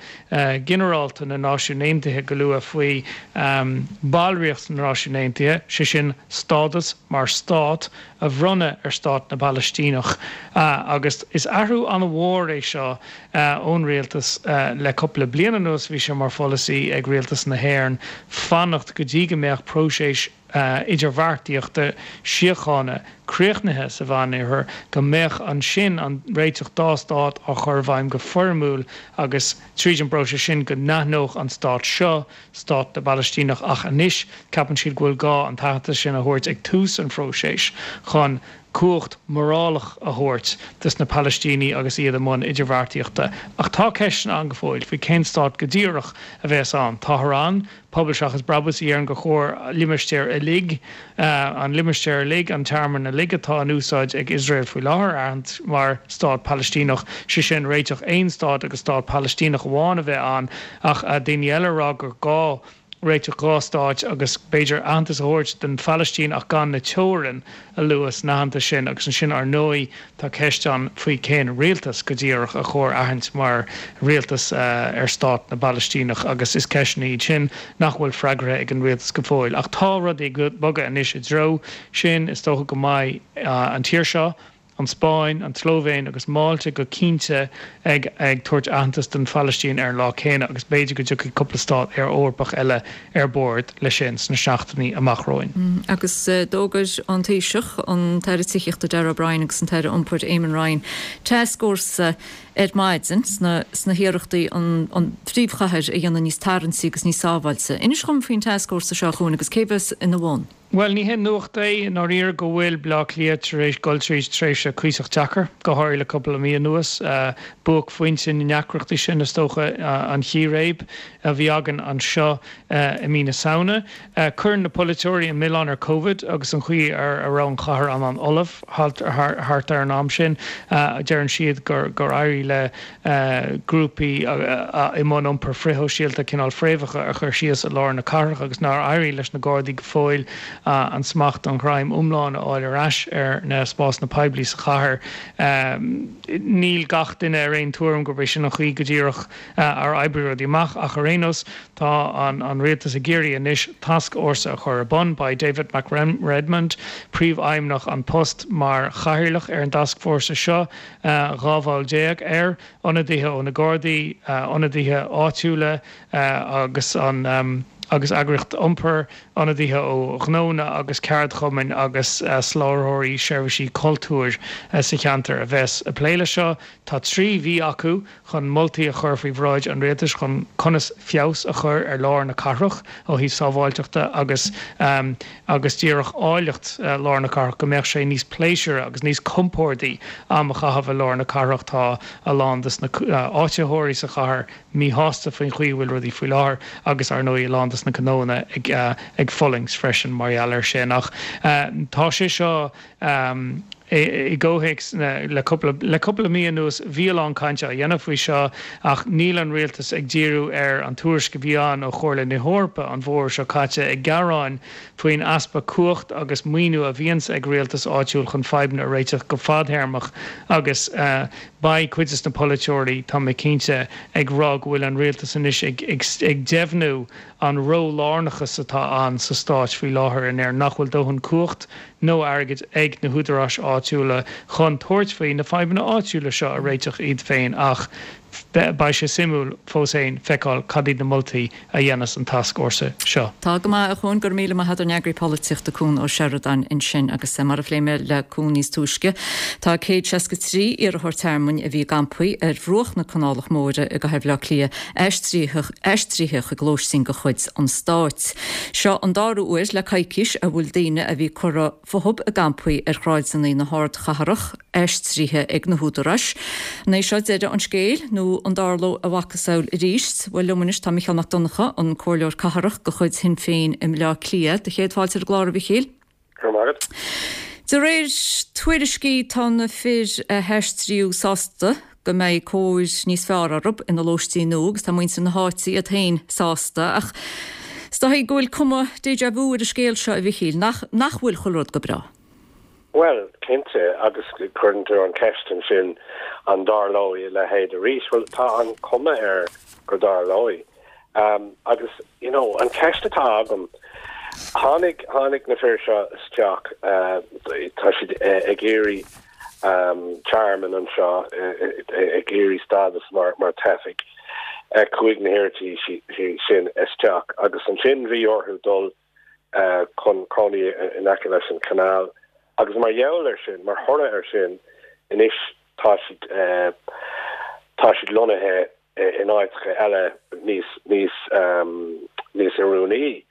Ginearálta na Náisiún Aontaithe go luath faoi bhallraíocht na Náisiún Aontaithe, sé sin stádas mar stát a bhronnadh ar stát na bPalaistíneach. Agus is athrú an-mhór é seo ón rialtas le cúpla bliain anuas. Bhí sé mar pholasaí ag rialtas na hÉireann fanacht go dtí go mbeadh próiseas. idirbheartaíochta síochána críochnaithe sa Mheánoirthear, go mbeadh ansin an réiteach dá stát á chur i bhfeidhm go foirmiúil agus tríd an bpróiseas sin go n-aithneodh an stát seo stát na bPalaistíneach ach anois ceapann siad go bhfuil gá an t-aitheantas sin a thabhairt ag tús an phróisis chun cumhacht mhorálach a thabhairt dos na Palaistínigh agus iad i mbun idirbheartaíochta. Ach tá ceisteanna ann go fóill faoi cén stát go díreach a bheas ann. Táthar ann, Pobal Seachas Brabús, a deireann gur chóir limistéar uilig, an limistéar uilig, an tearmann uilig atá in úsáid ag Iosrael faoi láthair a aithint mar stát Palaistíneach, sé sin réiteach aon stát agus stát Palaistíneach amháin a bheith ann. Ach daoine eile ag rá gur gá réiteach 2 stáit agus b'fhéidir aitheantas a thabhairt don Phalaistín ach gan na teorainn a lua san aitheantas sin. Agus ansin ar ndóigh tá ceist ann faoi cén rialtas go díreach a chóir aithint mar rialtas ar stát na bPalaistíneach agus is ceisteanna iad sin nach bhfuil freagartha ag an rialtas go fóill. Ach tá rudaí ag bogadh anois i dtreo sin. Is dócha go mbeidh an tír seo an Spáinn, an tSlóivéin agus Málta go cinnte ag ag tabhairt aitheantas don Phalaistín ar an lá céanna agus b'fhéidir go dtiocfaidh cúpla stát Eorpach eile ar bord leis sin sna seachtainí amach romhainn. Agus d'fhógair an Taoiseach, an tAire Tithíochta Darragh O'Brien agus an tAire Iompair Eamon Ryan tascfhórsa ar maidin sna sna hiarrachtaí an an phríomhchathair a dhéanamh níos tarraingtí agus níos sábháilte. Inis dhom faoin tascfhórsa seo a Chuain agus cé bheas ina bhun? Bhuel, ní haon nuacht é i ndáiríre go bhfuil Baile Átha Cliath tar éis dul tríd tréimhse cuíosach deacair, go háirithe le cúpla mí anuas. Buaicphointe na ndeacrachtaí sin, is dócha, an chíréib a bhí againn anseo i mí na Samhna. Cuireann na polaiteoirí an milleán ar Covid agus an chaoi a raibh an chathair an-fholamh thart ar an am sin. Deireann siad gur éirigh le grúpaí i mbun iompar frithshóisialta cineál fréamhacha a chur síos i lár na cathrach agus nár éirigh leis na Gardaí go fóill an smacht, an ghreim iomlán a fháil ar ais ar na spásanna poiblí sa chathair. Níl gach duine ar aon tuairim gurb é sin an chaoi go díreach ar oibrigh rudaí amach ach ar aon nós tá an rialtas ag iarraidh anois tascfhórsa a chur ar bun. Beidh David McRedmond, Príomhfheidhmeannach An Post, mar chathaoirleach ar an dtascfhórsa seo. 12 bhall air, ionadaithe ó na Gardaí, ionadaithe áitiúla agus an agus eagraíocht iompair, ionadaithe ó ghnónna agus ceardchumainn agus soláthróirí seirbhísí cultúir sa cheantar a bheas ag plé leis seo. Tá 3 mhí acu chun moltaí a chur faoi bhráid an rialtais chun conas feabhas a chur ar lár na cathrach ó thaobh sábháilteachta agus agus díreach áilleacht lár na cathrach, go mbeadh sé níos pléisiúra agus níos compórdaí am a chaitheamh i lár na cathrach. Tá a lán des na áititheoirí sa chathair míshásta faoin chaoi a bhfuil rudaí faoi láthair agus, ar ndóigh, a lán des na gnóanna ag ag fulaingt freisin mar gheall air sin. Ach tá sé seo. I gcomhthéacs le cúpla le cúpla mí anuas bhí a lán cainte á dhéanamh faoi seo ach níl an rialtas ag díriú ar an tuairisc a bhí ann ó Chomhairle na hEorpa an bhfómhar seo caite ag gearáin faoin easpa cumhacht agus maoiniú a bhíonns ag rialtas áitiúil chun fadhbanna a réiteach go fadthéarmach agus beidh cuid des na polaiteoirí, tá mé cinnte, ag rá go bhfuil an rialtas anois ag ag deimhniú an ró-lárnachas atá ann sa stáit faoi láthair in Éirinn, nach bhfuil dóthain cumhacht nó airgid ag na húdaráis áitiúla chun tabhairt faoi na fadhbanna áitiúla seo a réiteach iad féin ach beidh sé suimiúil fós féin feiceáil cad iad na moltaí a dhéanfas an tascfhórsa seo. Tá go maith, a Chuain, go raibh míle maith agat, ár n-eagraí polaitíochta Cuan Ó Seireadáin ansin agus mar a phléigh mé le Cuan níos túisce, tá 163 iarrthóir tearmainn a bhí i gcampaí ar bhruach na Canálach Móire i gcathair Bhaile Átha Cliath aistrithe chuig lóistín de chuid an stáit. Seo an dara huair le coicís a bhfuil daoine a bhí curtha fúthu i gcampaí ar shráideanna na hardchathrach aistrithe ag na húdaráis. An é seo deireadh an scéil nó an dtarlóidh a mhacasamhail arís? Bhuel, liom anois tá Micheál Mac Donncha, an Comhairleoir Cathrach de chuid Shinn Féin i mBleá Cliath. Do chéad fáilte ar an gclár, a Mhichíl. Go raibh maith agat. De réir tuairiscí tá na fir a haistríodh sásta go mbeidh cóir níos fearr orthu ina lóistín nua agus tá muintir na háite iad féin sásta ach is dóigh go bhfuil cuma déjà vu ar an scéal seo a Mhichíl, nach nach bhfuil chuile rud go breá? Bhuel, cinnte, agus cuireann tú an cheist ansin an dtarlóidh a leithéid arís? Bhuel, tá an chuma air go dtarlóidh. Agus, you know, an cheist atá agam, tháinig, tháinig na fir seo isteach, tá siad ag iarraidh tearmann anseo, ag iarraidh stádas mar, mar teifigh. Chuaigh na hiarrataí sin isteach agus ansin bhí orthu dul. chun cónaí in aice leis an canal agus mar gheall air sin, mar thoradh air sin, anois tá siad tá siad lonnaithe in áiteacha eile níos níos níos oiriúnaí.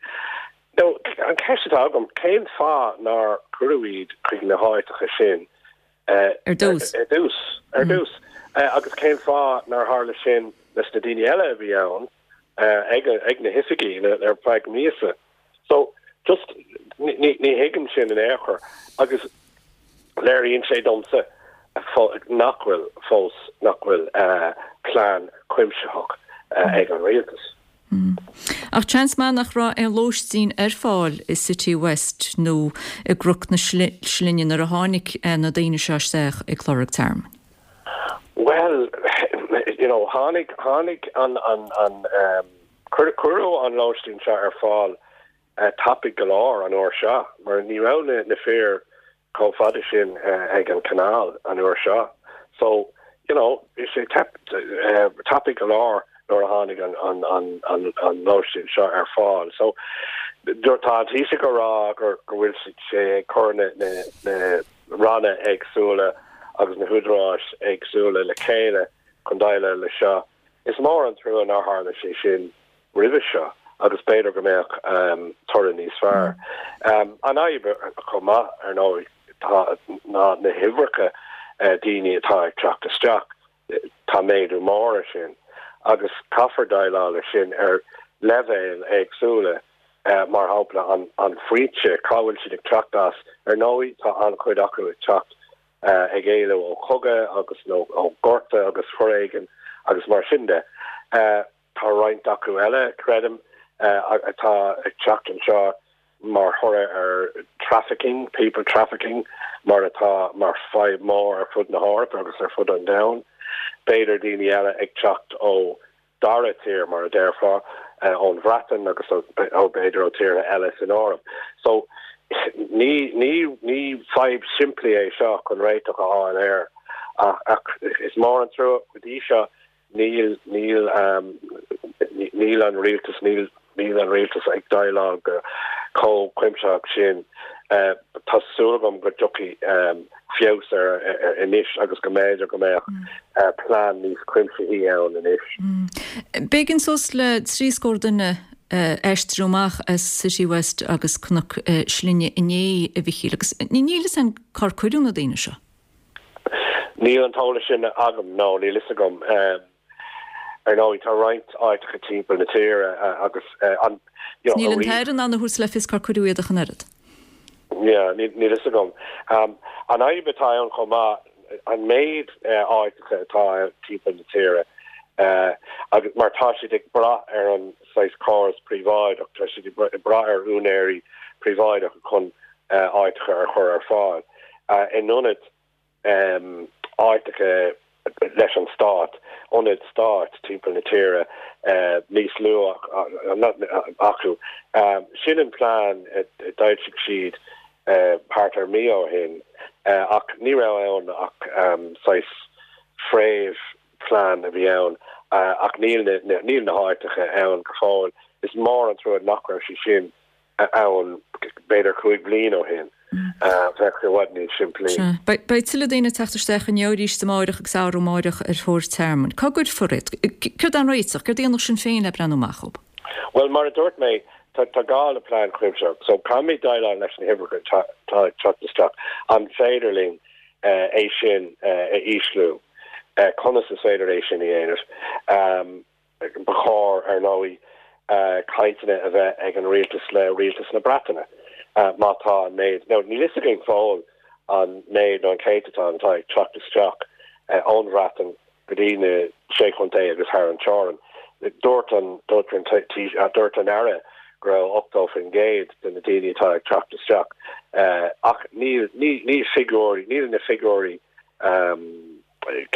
Now, an cheist atá agam, cén fáth nár cuireadh iad chuig na háiteacha sin Ar dtús. Ar dtús. Ar dtús. Agus cén fáth nár tharla sin leis na daoine eile a bhí ann ag ag na hoifigí ar feadh míosa? So, just, ní ní thuigim sin in aon chor. Agus léiríonn sé domsa nach bhfuil fós, nach bhfuil plean cuimsitheach ag an rialtas. Ach seans maith nach raibh aon lóistín ar fáil i City West nó i gCnoc na Slinne nuair a tháinig na daoine seo isteach ag lorg tearmainn. Bhuel, you know, tháinig, tháinig an, an, an, cuireadh an lóistín seo ar fáil tapaidh go leor an uair seo mar ní raibh na, na fir chomh fada sin ag an canal an uair seo. So, you know, bhí sé tapaidh go leor nuair a tháinig an an an an an lóistín seo ar fáil. So, tá an Taoiseach ag rá gur go bhfuil sé ag cur na na na ranna éagsúla agus na húdaráis éagsúla le chéile chun déileáil le seo. Is mór an trua nár tharla sé sin roimhe seo agus b'fhéidir go mbeadh toradh níos fearr. An fhadhb chomh maith, ar ndóigh, tá ná na huimhreacha daoine atá ag teacht isteach. Tá méadú mór ar sin agus caithfear déileáil leis sin ar leibhéil éagsúla, mar shampla an foinse, cá bhfuil siad ag teacht as. Ar ndóigh, tá an-chuid acu ag teacht ag éalú ó chogadh agus nó ó ghorta agus foréigean agus mar sin de. Tá roinnt acu eile, creidim, atá ag teacht anseo mar thoradh ar trafficking, people trafficking, mar atá mar fadhb mór ar fud na hEorpa agus ar fud an domhain. B'fhéidir daoine eile ag teacht ó dara tír, mar a déarfá, ón Bhreatain agus ó b'fhéidir ó tíortha eile san Eoraip. So, ní, ní, ní fadhb simplí é seo chun réiteach a fháil air ach is mór an trua go dtí seo Níl, níl, níl an rialtas, níl, níl an rialtas ag déileáil go chomh cuimsitheach sin. Tá súil agam go dtiocfaidh feabhas air anois agus go mb'fhéidir go mbeadh plean níos cuimsithí ann anois. B'éigean suas le 30 duine aistriú amach as City West agus Cnoc Slinne inné, a Mhichíl, agus níl fhios againn cár cuireadh na daoine seo. Níl an t-eolas sin agam, no, níl fhios agam. Ar ndóigh, tá roinnt áiteacha timpeall na tíre agus an, you know, Níl an tAire in ann a thabhairt le fios cár cuireadh iad ach an oiread. Yeah, níl fhios agam. An fhadhb atá ann chomh maith, an méid áiteacha atá timpeall na tíre, agus mar tá siad ag brath ar an saghas córas príobháideach, tá siad ag brath ar úinéirí príobháideacha chun áiteacha a chur ar fáil in ionad áiteacha leis an stát, ionaid stáit timpeall na tíre níos lú acu. Sin an plean a d'fhoilsigh siad thart ar mí ó shin ach ní raibh ann ach saghas fréamh plean a bhí ann ach níl níl na háiteacha ann go fóill. Is mór an trua nach raibh sé sin ann b'fhéidir 5 bliain ó shin. Bheadh sé i bhfad níos simplí. Sea. Beidh tuilleadh daoine ag teacht isteach inniu arís amáireach agus arú amáireach ar thóir tearmainn. Cá gcuirfear iad? Céard é an réiteach? Céard a dhéanfadh Sinn Féin le breathnú amach dhóibh? Bhuel, mar a dúirt mé, tá gá le plean cuimsitheach. So caithfimid déileáil leis na huimhreacha atá ag teacht isteach. An féidir linn é sin a ísliú? Conas is féidir é sin a dhéanamh? Ba chóir, ar ndóigh, cainteanna a bheith ag an rialtas le rialtas na Breataine má tá an méid, nó níl fhios againn fóill an méid nó an céatadán atá ag teacht isteach ón Bhreatain go dtí na Sé Chontae agus thar an teorainn. Dúirt an, dúirt an, dúirt an Aire go raibh 80% de na daoine atá ag teacht isteach ach níl, níl figiúirí, níl na figiúirí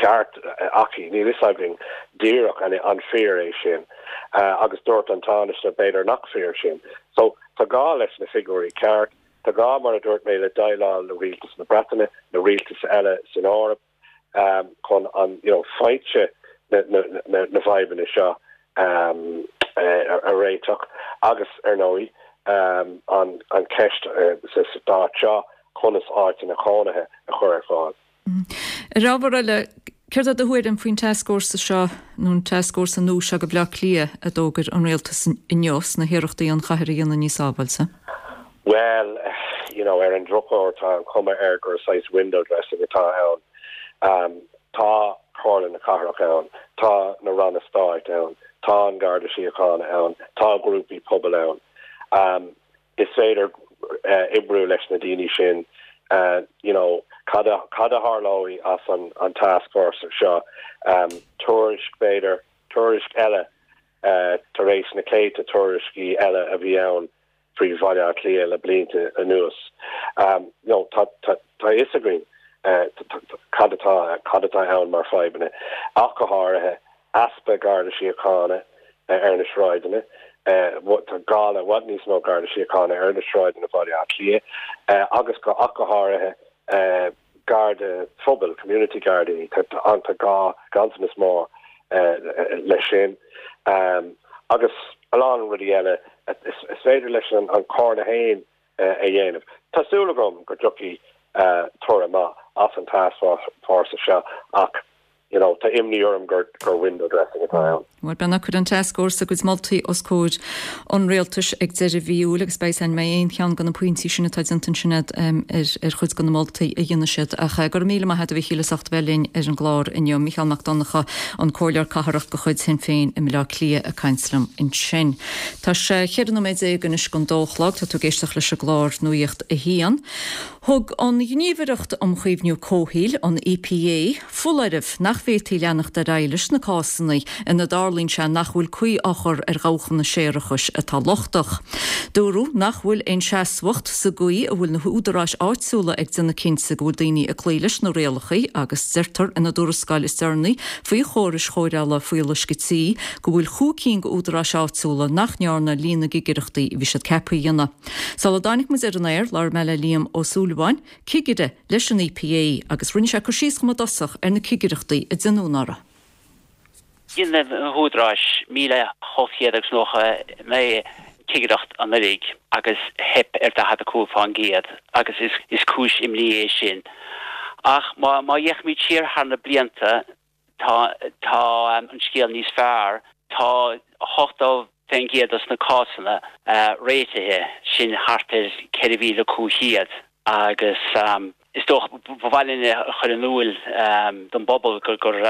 ceart aici, níl fhios againn díreach an fíor é sin agus dúirt an Tánaiste b'fhéidir nach fíor sin. So tá gá leis na figiúirí ceart, tá gá mar a dúirt mé le déileáil le rialtas na Breataine, na rialtais eile san Eoraip chun an you know foinse na na na bhfadhbanna seo a réiteach agus ar ndóigh. An cheist sa stát seo, conas áiteanna cónaithe a chur ar fáil. Ar ábhar eile, céard é do thuairim faoin tascfhórsa seo, nó an tascfhórsa nua seo do Bhaile Átha Cliath a d'fhógair an rialtas inniu sna hiarrachtaí an chathair a dhéanamh níos sábháilte? Bhuel, you know, ar an drochuair tá an chuma air gur saghas window dressing atá ann. Tá Comhairle na Cathrach ann, tá na ranna stáit ann, tá an Garda Síochána ann, tá grúpaí pobail ann. Is féidir oibriú leis na daoine sin. You know, cad a cad a tharlóidh as an an tascfhórsa seo? Tuairisc, b'fhéidir, tuairisc eile tar éis na céadta tuairiscí eile a bhí ann faoi Bhaile Átha Cliath le blianta anuas. You know, tá tá tá a fhios againn cad atá cad atá ann mar fadhbanna, ach go háirithe easpa Garda Síochána ar na sráideanna. Tá gá le i bhfad níos mó Garda Síochána ar na sráideanna Bhaile Átha Cliath agus go ach go háirithe Garda phobail, community Gardaí, tá tá gá ganntanas mór leis sin. Agus a lán rudaí eile is féidir leis an Chomhairle féin a dhéanamh. Tá súil agam go dtiocfaidh toradh maith as an tascfhórsa seo ach you know tá imní orm gur gur window dressing atá ann. Bhuel, beidh cuirfidh an tascfhórsa a gcuid moltaí os comhair an Rialtais ag deireadh mhí Iúil agus beidh an mbeidh aon cheann de na pointí sin atá déanta ansin agat ar ar chuid de na moltaí a dhéanfaidh siad. Ach go raibh míle maith agat a Mhíchíl as ucht a bheith linn ar an gclár inniu. Mícheál Mac Donncha, an Comhairleoir Cathrach de chuid Shinn Féin i mBaile Átha Cliath ag caint liom ansin. Tá sé 14 nóiméad anois don dó a chlog. Tá tú ag éisteacht leis an gclár Nuacht a hAon. Thug an Ghníomhaireacht um Chaomhnú Comhshaoil, an EPA, foláireamh nach bhféadfaí leanacht ar aghaidh leis na cásanna ina dtarlaíonn sé nach bhfuil caoi á chur ar dhabhchanna séarachais atá lochtach. Dúradh nach bhfuil aon seasmhacht sa gcaoi a bhfuil na húdaráis áitiúla ag déanamh cinnte go bhfuil daoine ag cloí leis na rialacha agus deirtear ina dtuarascáil is deireanaí faoi chórais chóireála fuíolluisce tí go bhfuil chúig cinn d'údaráis áitiúla nach ndearna líon na gcigireachtaí a bhí siad ceaptha a dhéanamh. Sula dtáinig muid ar an aer, labhair mé le Liam Ó Súilleabháin, cigire leis an EPA, agus rinne sé cur síos dhom i dtosach ar na cigireachtaí a déanadh anuraidh. Dhein na húdaráis 1,899 cigireacht anuraidh agus theip ar 45% agus is cúis imní é sin. Ach má fhéachaimid siar thar na blianta, Tá tá an scéal níos fearr. Tá 80% dos na cásanna réitithe, sin thart ar 4,500 agus is dócha ba mhaith linn a chur in iúil don bpobal gur gur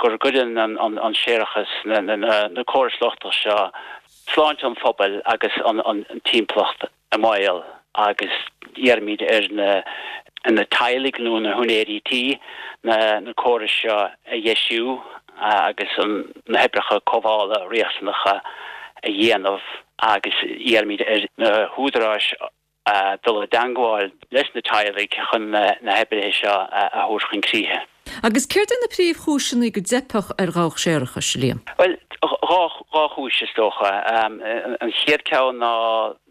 gur gcuireann an séarachas, na córais lochtach seo sláinte an phobail agus an timpeallacht i mbaol agus iarraimid ar na teaghlaigh nó na húinéirí tí na córais seo a dheisiú agus na hoibreacha cothabhála riachtanacha a dhéanamh agus iarraimid ar na húdaráis dul i dteangmháil leis na teaghlaigh chun na hoibrithe seo a thabhairt chun críche. Agus céard é na príomhchúiseanna go dteipfeadh ar dhabhach séarachais, Liam? Bhuel, 2 chúis is dócha. An chéad ceann ná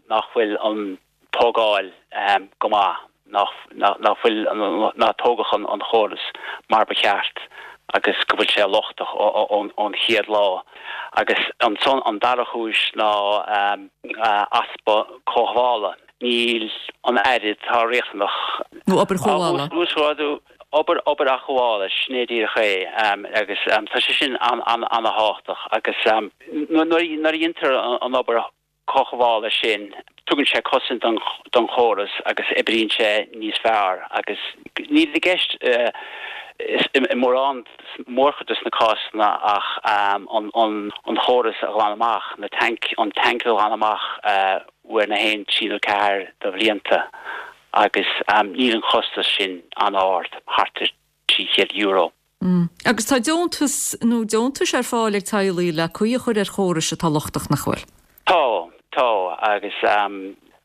nach bhfuil an tógáil go maith, nach bhfuil, nár tógadh an chóras mar ba cheart agus go bhfuil sé lochtach ón chéad lá. Agus ansan an dara chúis ná easpa cothabhála. Níl an aire atá riachtanach. Nó obair chothabhála. Obair, obair athghabhála, sin é díreach é agus tá sé sin an-an-an-thábhachtach agus nuair a dhéantar an obair chothabhála sin, tugann sé cosaint don don chóras agus oibríonn sé níos fearr agus níl i gceist i mórán, mórchuid de na cásanna ach an an an chóras a ghlanadh amach, na tanc, an tanc a ghlanadh amach uair nó haon, trí nó ceathair de bhlianta. agus níl an costas sin an-ard, thart ar €300. Agus tá deontas nó deontais ar fáil ag teaghlaigh le caoi a chur ar chórais atá lochtach, nach bhfuil? Tá, tá, agus tá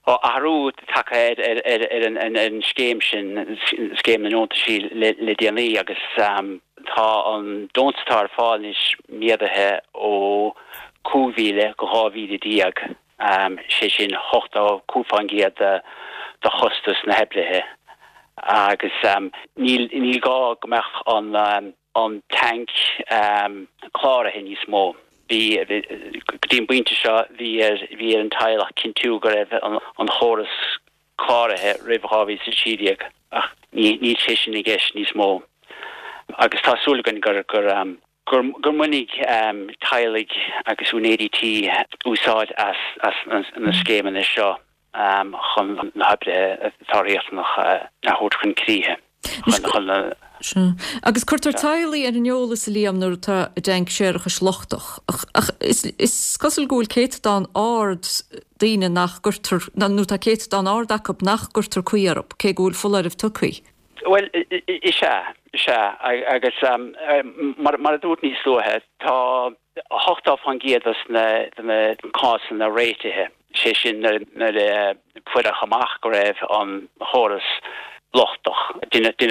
athrú tagtha ar an scéim sin, scéim na ndeontaisí le déanaí agus tá an deontas atá ar fáil anois méadaithe ó 5,000 go 12,000. sé sin 85% de chostas na hoibrithe agus níl níl gá go mbeadh an an tanc cláraithe níos mó. Bhí, go dtí an bpointe seo, bhí ar, bhí ar an teaghlach cinntiú go raibh an chóras cláraithe roimh 2013 ach ní, níl sé sin i gceist níos mó agus tá súil againn gur, gur, gur, gur mbainfidh teaghlaigh agus úinéirí tí úsáid as, as na scéimeanna seo chun na hoibrithe atá riachtanach a thabhairt chun críche. Chun na. Sea. Agus cuirtear teaghlaigh ar an eolas, a Liam, nuair atá a dtanc séarachais lochtach. Ach is cosúil go bhfuil céatadán ard daoine nach gcuirtear, nó tá céatadán ard acu nach gcuirtear caoi orthu, cé go bhfuil foláireamh tugtha. Bhuel, is ea, is ea. Agus mar a dúirt níos luaithe, tá 80% dos na de na cásanna réitithe, sé sin nuair a fuaireadh amach go raibh an chóras lochtach, deineadh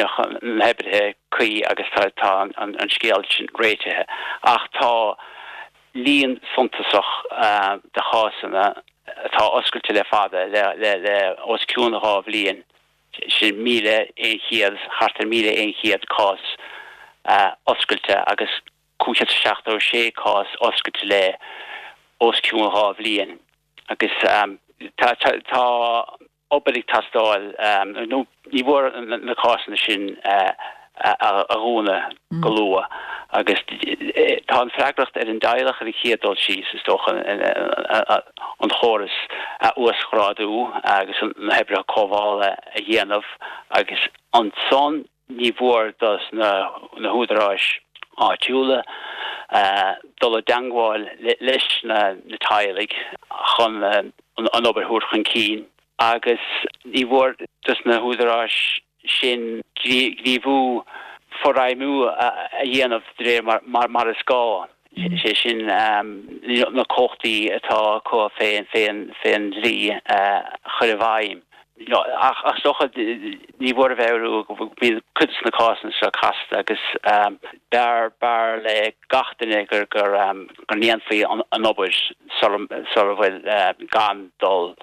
na hoibrithe cuí agus tá an scéal sin réitithe. Ach tá líon suntasach de chásanna atá oscailte le fada, le os cionn 2 bhliain, sin 1,100, thart ar 1,100 cás oscailte agus 576 cás oscailte le os cionn 2 bhliain agus tá obair ag teastáil nó ní mór na cásanna sin a dhúnadh go luath agus tá an freagracht ar an dteaghlach ar an chéad dul síos, is dócha, an chóras a uasghrádú agus na hoibreacha cothabhála a dhéanamh agus ansan Ní mhór dos na húdaráis áitiúla dul i dteangmháil leis na teaghlaigh chun an obair a thabhairt chun cinn agus ní mhór dos na húdaráis sin gníomhú, forfheidhmiú a dhéanamh de réir mar is gá. Sé sin, na cumhachtaí atá acu fén dlí a chur i bhfeidhm. Ach is dócha, ní mhór a mheabhrú go mbíonn cuid de na cásanna seo casta agus b'fhearr, b'fhearr le gach duine gur, gur, go ndéanfaí an obair sula bhfuil, gan dul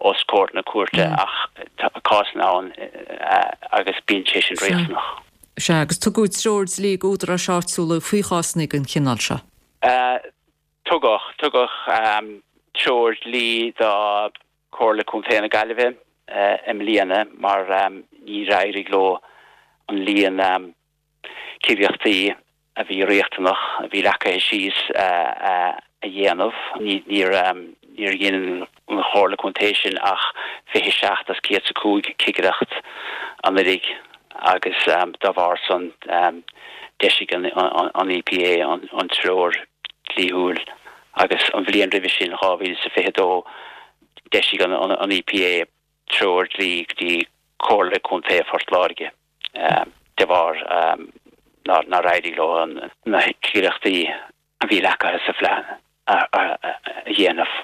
os comhair na cúirte ach tá cásanna ann agus bíonn sé sin riachtanach. Sea, agus tugadh treoir dlí d'údaráis áitiúla faoi chásanna den chineál seo. Tugadh. Tugadh treoir dlí do Chomhairle Contae na Gaillimhe i mbliana mar níor éirigh leo an líon cigireachtaí a bhí riachtanach, a bhí leagtha síos a dhéanamh. Níor dhein an Chomhairle Contae sin ach 27 as 105 cigireacht anuraidh agus dá bharr san d'eisigh an EPA an treoir dlíthiúil agus an bhliain roimhe sin, 2022, d'eisigh an EPA treoir dlí go dtí Comhairle Contae Phort Láirge. de bharr nár éirigh leo na cigireachtaí a bhí leagtha sa phlean a dhéanamh.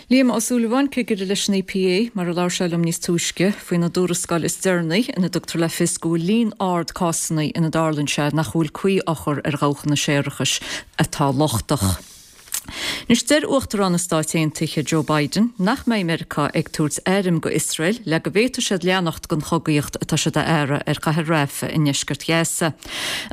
Liam Ó Súilleabháin, Cigire leis an EPA, mar a labhair sé liom níos túisce, faoina dtuarascáil is deireanaí ina dtugtar le fios go bhfuil líon ard cásanna ina dtarlaíonn sé nach bhfuil caoi á chur ar dhabhchanna séarachais atá lochtach. Anois, deir Uachtarán na Stáit Aontaithe Joe Biden nach mbeidh Meiriceá ag tabhairt airm go Iosrael le go bhféadfaidh siad leanacht den chogaíocht atá siad a fhearadh ar chathair Rafah i ndeisceart Ghaza.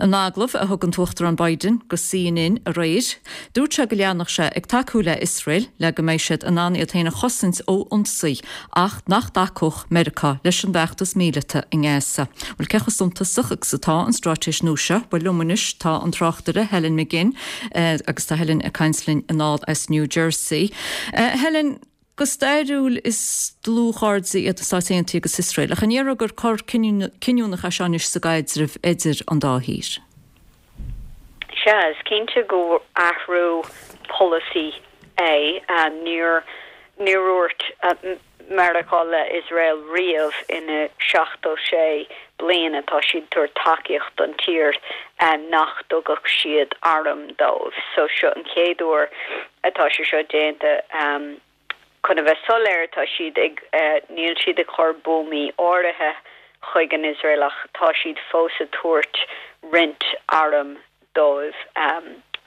In agallamh a thug an tUachtarán Biden go CNN aréir, dúirt sé go leanfadh sé ag tacú le Iosrael le go mbeidh siad in ann iad féin a chosaint ó ionsaí ach nach dtacódh Meiriceá leis an bhfeachtas míleata i nGaza. Bhuel, cé chomh suntasach agus atá an straitéis nua seo? Bhuel, liom anois tá an tráchtaire Helen McGinn agus tá Helen ag caint linn anall as New Jersey. Helen, go stairiúil is dlúthchairde iad na Stáit Aontaithe agus Iosrael, ach an ndéarfá gur cor cinniúnach é seo anois sa gcaidreamh idir an dá thír? Sea, is cinnte gur athrú polasaí é. Níor níor dhúirt Meiriceá le Iosrael riamh ina 76 bliain atá siad ag tabhairt tacaíocht don tír nach dtugadh siad airm dóibh. So seo an chéad uair atá sé seo déanta. Chun a bheith soiléir, tá siad ag, níl siad ag cur buamaí áirithe chuig an Iosrael ach tá siad fós ag tabhairt roinnt arm dóibh.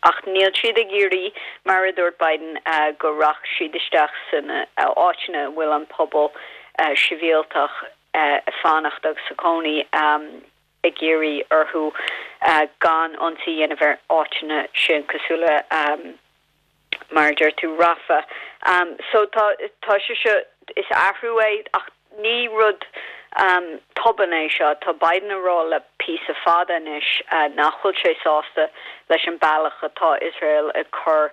Ach níl siad ag iarraidh, mar a dúirt Biden, go rachadh siad isteach sna áiteanna a bhfuil an pobal sibhialtach ag fanacht agus ag cónaí. Ag iarraidh orthu gan ionsaí a dhéanamh ar áiteanna sin cosúil le mar a deir tú Rafah. So tá tá sé seo is athrú é ach ní rud tobann é seo. Tá Biden a rá le píosa fada anois nach bhfuil sé sásta leis an bealach atá Iosrael ag cur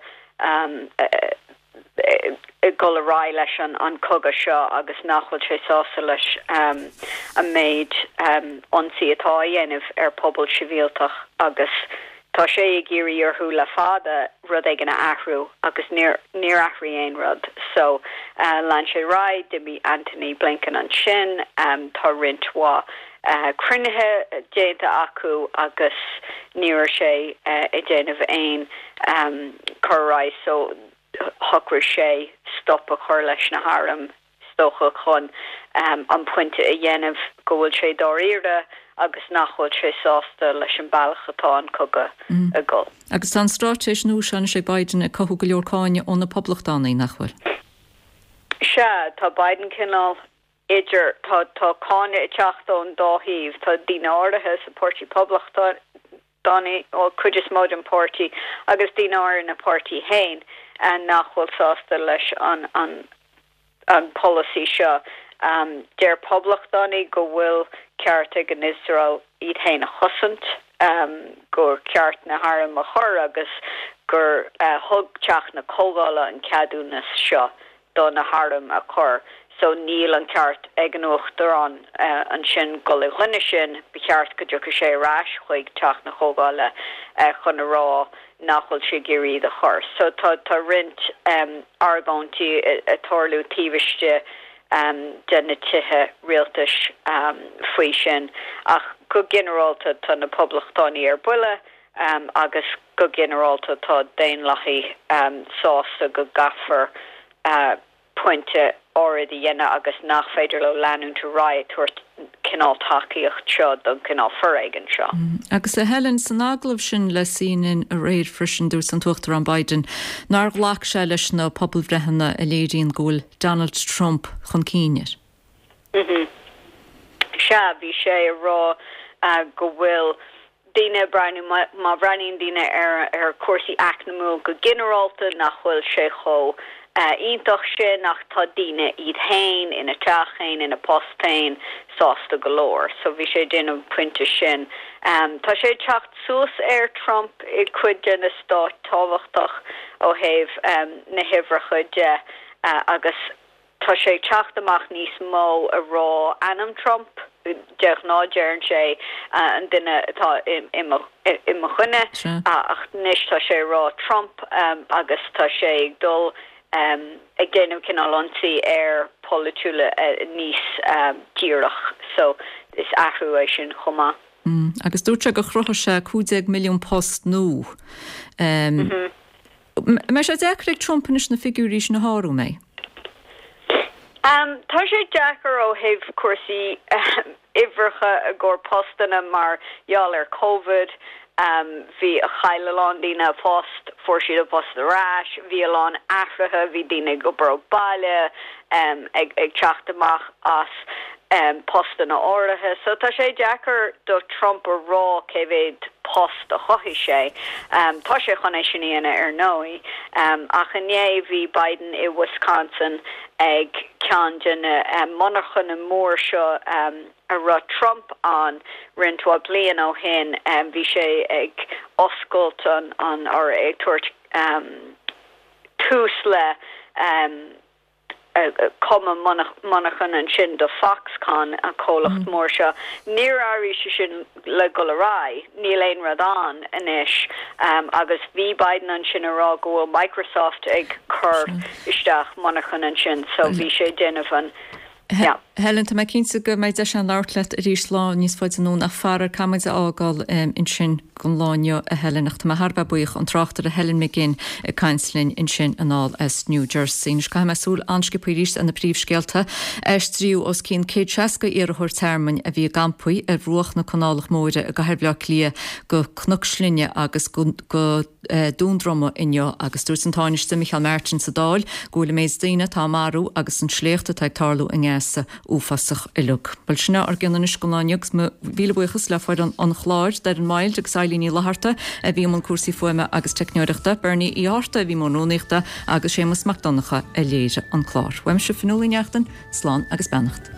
ag dul ar aghaidh leis an cogadh seo agus nach bhfuil sé sásta leis an méid ionsaí atá á dhéanamh ar pobal sibhialtach agus tá sé ag iarraidh orthu le fada rud éigin a athrú agus níor níor athraigh aon rud so lean sé ar aghaidh, d'imigh Antony Blinken ansin, tá roinnt mhaith cruinnithe déanta acu agus ní raibh sé ag déanamh aon cur ar aghaidh so shocraigh sé stop a chur leis na hairm is dócha chun an pointe a dhéanamh go bhfuil sé dáiríre agus nach bhfuil sé sásta leis an bealach atá an cogadh ag dul. Agus tá an straitéis nua seo anois ag Biden ag cothú go leor cáineadh ó na Poblachtánaigh, nach bhfuil? Sea, tá Biden cineál idir, tá tá cáineadh ag teacht ón dá thaobh. Tá daoine áirithe sa Páirtí Poblachtánach, an chuid is mó den pháirtí, agus daoine áirithe ina pháirtí féin nach bhfuil sásta leis an an an polasaí seo. Deir Poblachtánaigh go bhfuil ceart ag an Iosrael iad féin a chosaint, gur ceart na hairm a chur agus gur thug Teach na Comhdhála an ceadúnas seo do na hairm a chur so níl an ceart ag an Uachtarán ansin dul i gcoinne sin, ba cheart go dtiocfadh sé ar ais chuig Teach na Comhdhála chun a rá nach bhfuil sé ag iarraidh iad a chur. So tá tá roinnt argóintí ag tarlú taobh istigh de na tithe rialtais faoi sin ach go ginearálta tá na Poblachtánaigh ar buile agus go ginearálta tá Daonlathaigh sásta go gcaithfear pointe áirid a dhéanamh agus nach féidir leo leanúint ar aghaidh ag tabhairt cineál tacaíocht seo don chineál foréigin seo. Agus a Helen, san agallamh sin le CNN aréir freisin, dúirt an tUachtarán Biden nár ghlac sé leis na pobalbhreitheanna a léiríonn go bhfuil Donald Trump chun cinn air. Sea, bhí sé ag rá go bhfuil daoine ag breathnú, má bhreathnaíonn daoine ar chúrsaí eacnamúil go ginearálta, nach bhfuil sé chomh iontach sin ach tá daoine iad féin, ina dteach féin, ina bpost féin, sásta go leor. So bhí sé ag déanamh an pointe sin. Tá sé ag teacht suas ar Trump i cuid de na stáit tábhachtach ó thaobh na huimhreacha de agus Tá sé ag teacht amach níos mó ag rá ainm Trump. De ghnáth deireann sé an duine atá i mo choinne ach anois tá sé ag rá Trump agus tá sé ag dul ag déanamh cineál ionsaí air polaitiúil níos díreach. So is athrú é sin chomh maith. Agus dúirt sé gur chruthaigh sé 15 milliún post nua. Mbeidh sé deacair ag Trump anois na figiúirí sin a shárú, an mbeidh? Tá sé deacair ó thaobh cúrsaí uimhreacha i gcomhair postanna mar gheall ar Covid. Bhí, chaill a lán daoine a bpost, fuair siad a bpost ar ais, bhí a lán athruithe, bhí daoine ag obair ó baile, ag teacht amach as postanna áirithe. So tá sé deacair do Trump a rá cé mhéad post a chothaigh sé. Tá sé chun é sin a dhéanamh ar ndóigh. Ach inné bhí Biden i Wisconsin ag ceann de na monarchana mór seo a raibh Trump ann roinnt mhaith bliain ó shin. Bhí sé ag oscailt an, or ag tabhairt tús le cuma monarchan ansin do Foxconn, an comhlacht mór seo. Níor éirigh sé sin le dhul ar aghaidh, níl aon rud ann anois agus bhí Biden ansin ag rá go bhfuil Microsoft ag cur isteach monarchan ansin so bhí sé ag déanamh an, yeah. Helen, tá mé cinnte go mbeidh deis againn labhairt leat arís lá níos faide anonn ach faraor caithfidh muid a fhágáil ansin don lá inniu, a Helen, ach tá mé thar a bheith buíoch, an tráchtaire Helen McGinn ag caint linn ansin anall as New Jersey. Anois caithfidh mé súil an-sciobtha arís ar na príomhscéalta. Aistríodh os cionn 160 iarrthóir tearmainn a bhí i gcampaí ar bhruach na Canálach Móire i gcathair Bhaile Átha Cliath go Cnoc Slinne agus go Dún Droma inniu agus dúirt an Tánaiste Micheál Martin sa Dáil go bhfuil an méid daoine atá á marú agus an sléacht atá ag tarlú i nGaza. Uafásach uilig. Bhuel, sin é ár gcion anois don lá inniu agus mo mhíle buíochas le foireann an chláir, Doireann Myles agus Eilín Ní Fhlatharta a bhí i mbun cúrsaí fuaime agus teicneoireachta, Bernie Uí Fhátharta a bhí i mbun rúnaíochta agus Séamus Mac Donncha a léirigh an clár. Uaimse Fionnuala Ní Neachtain, slán agus beannacht.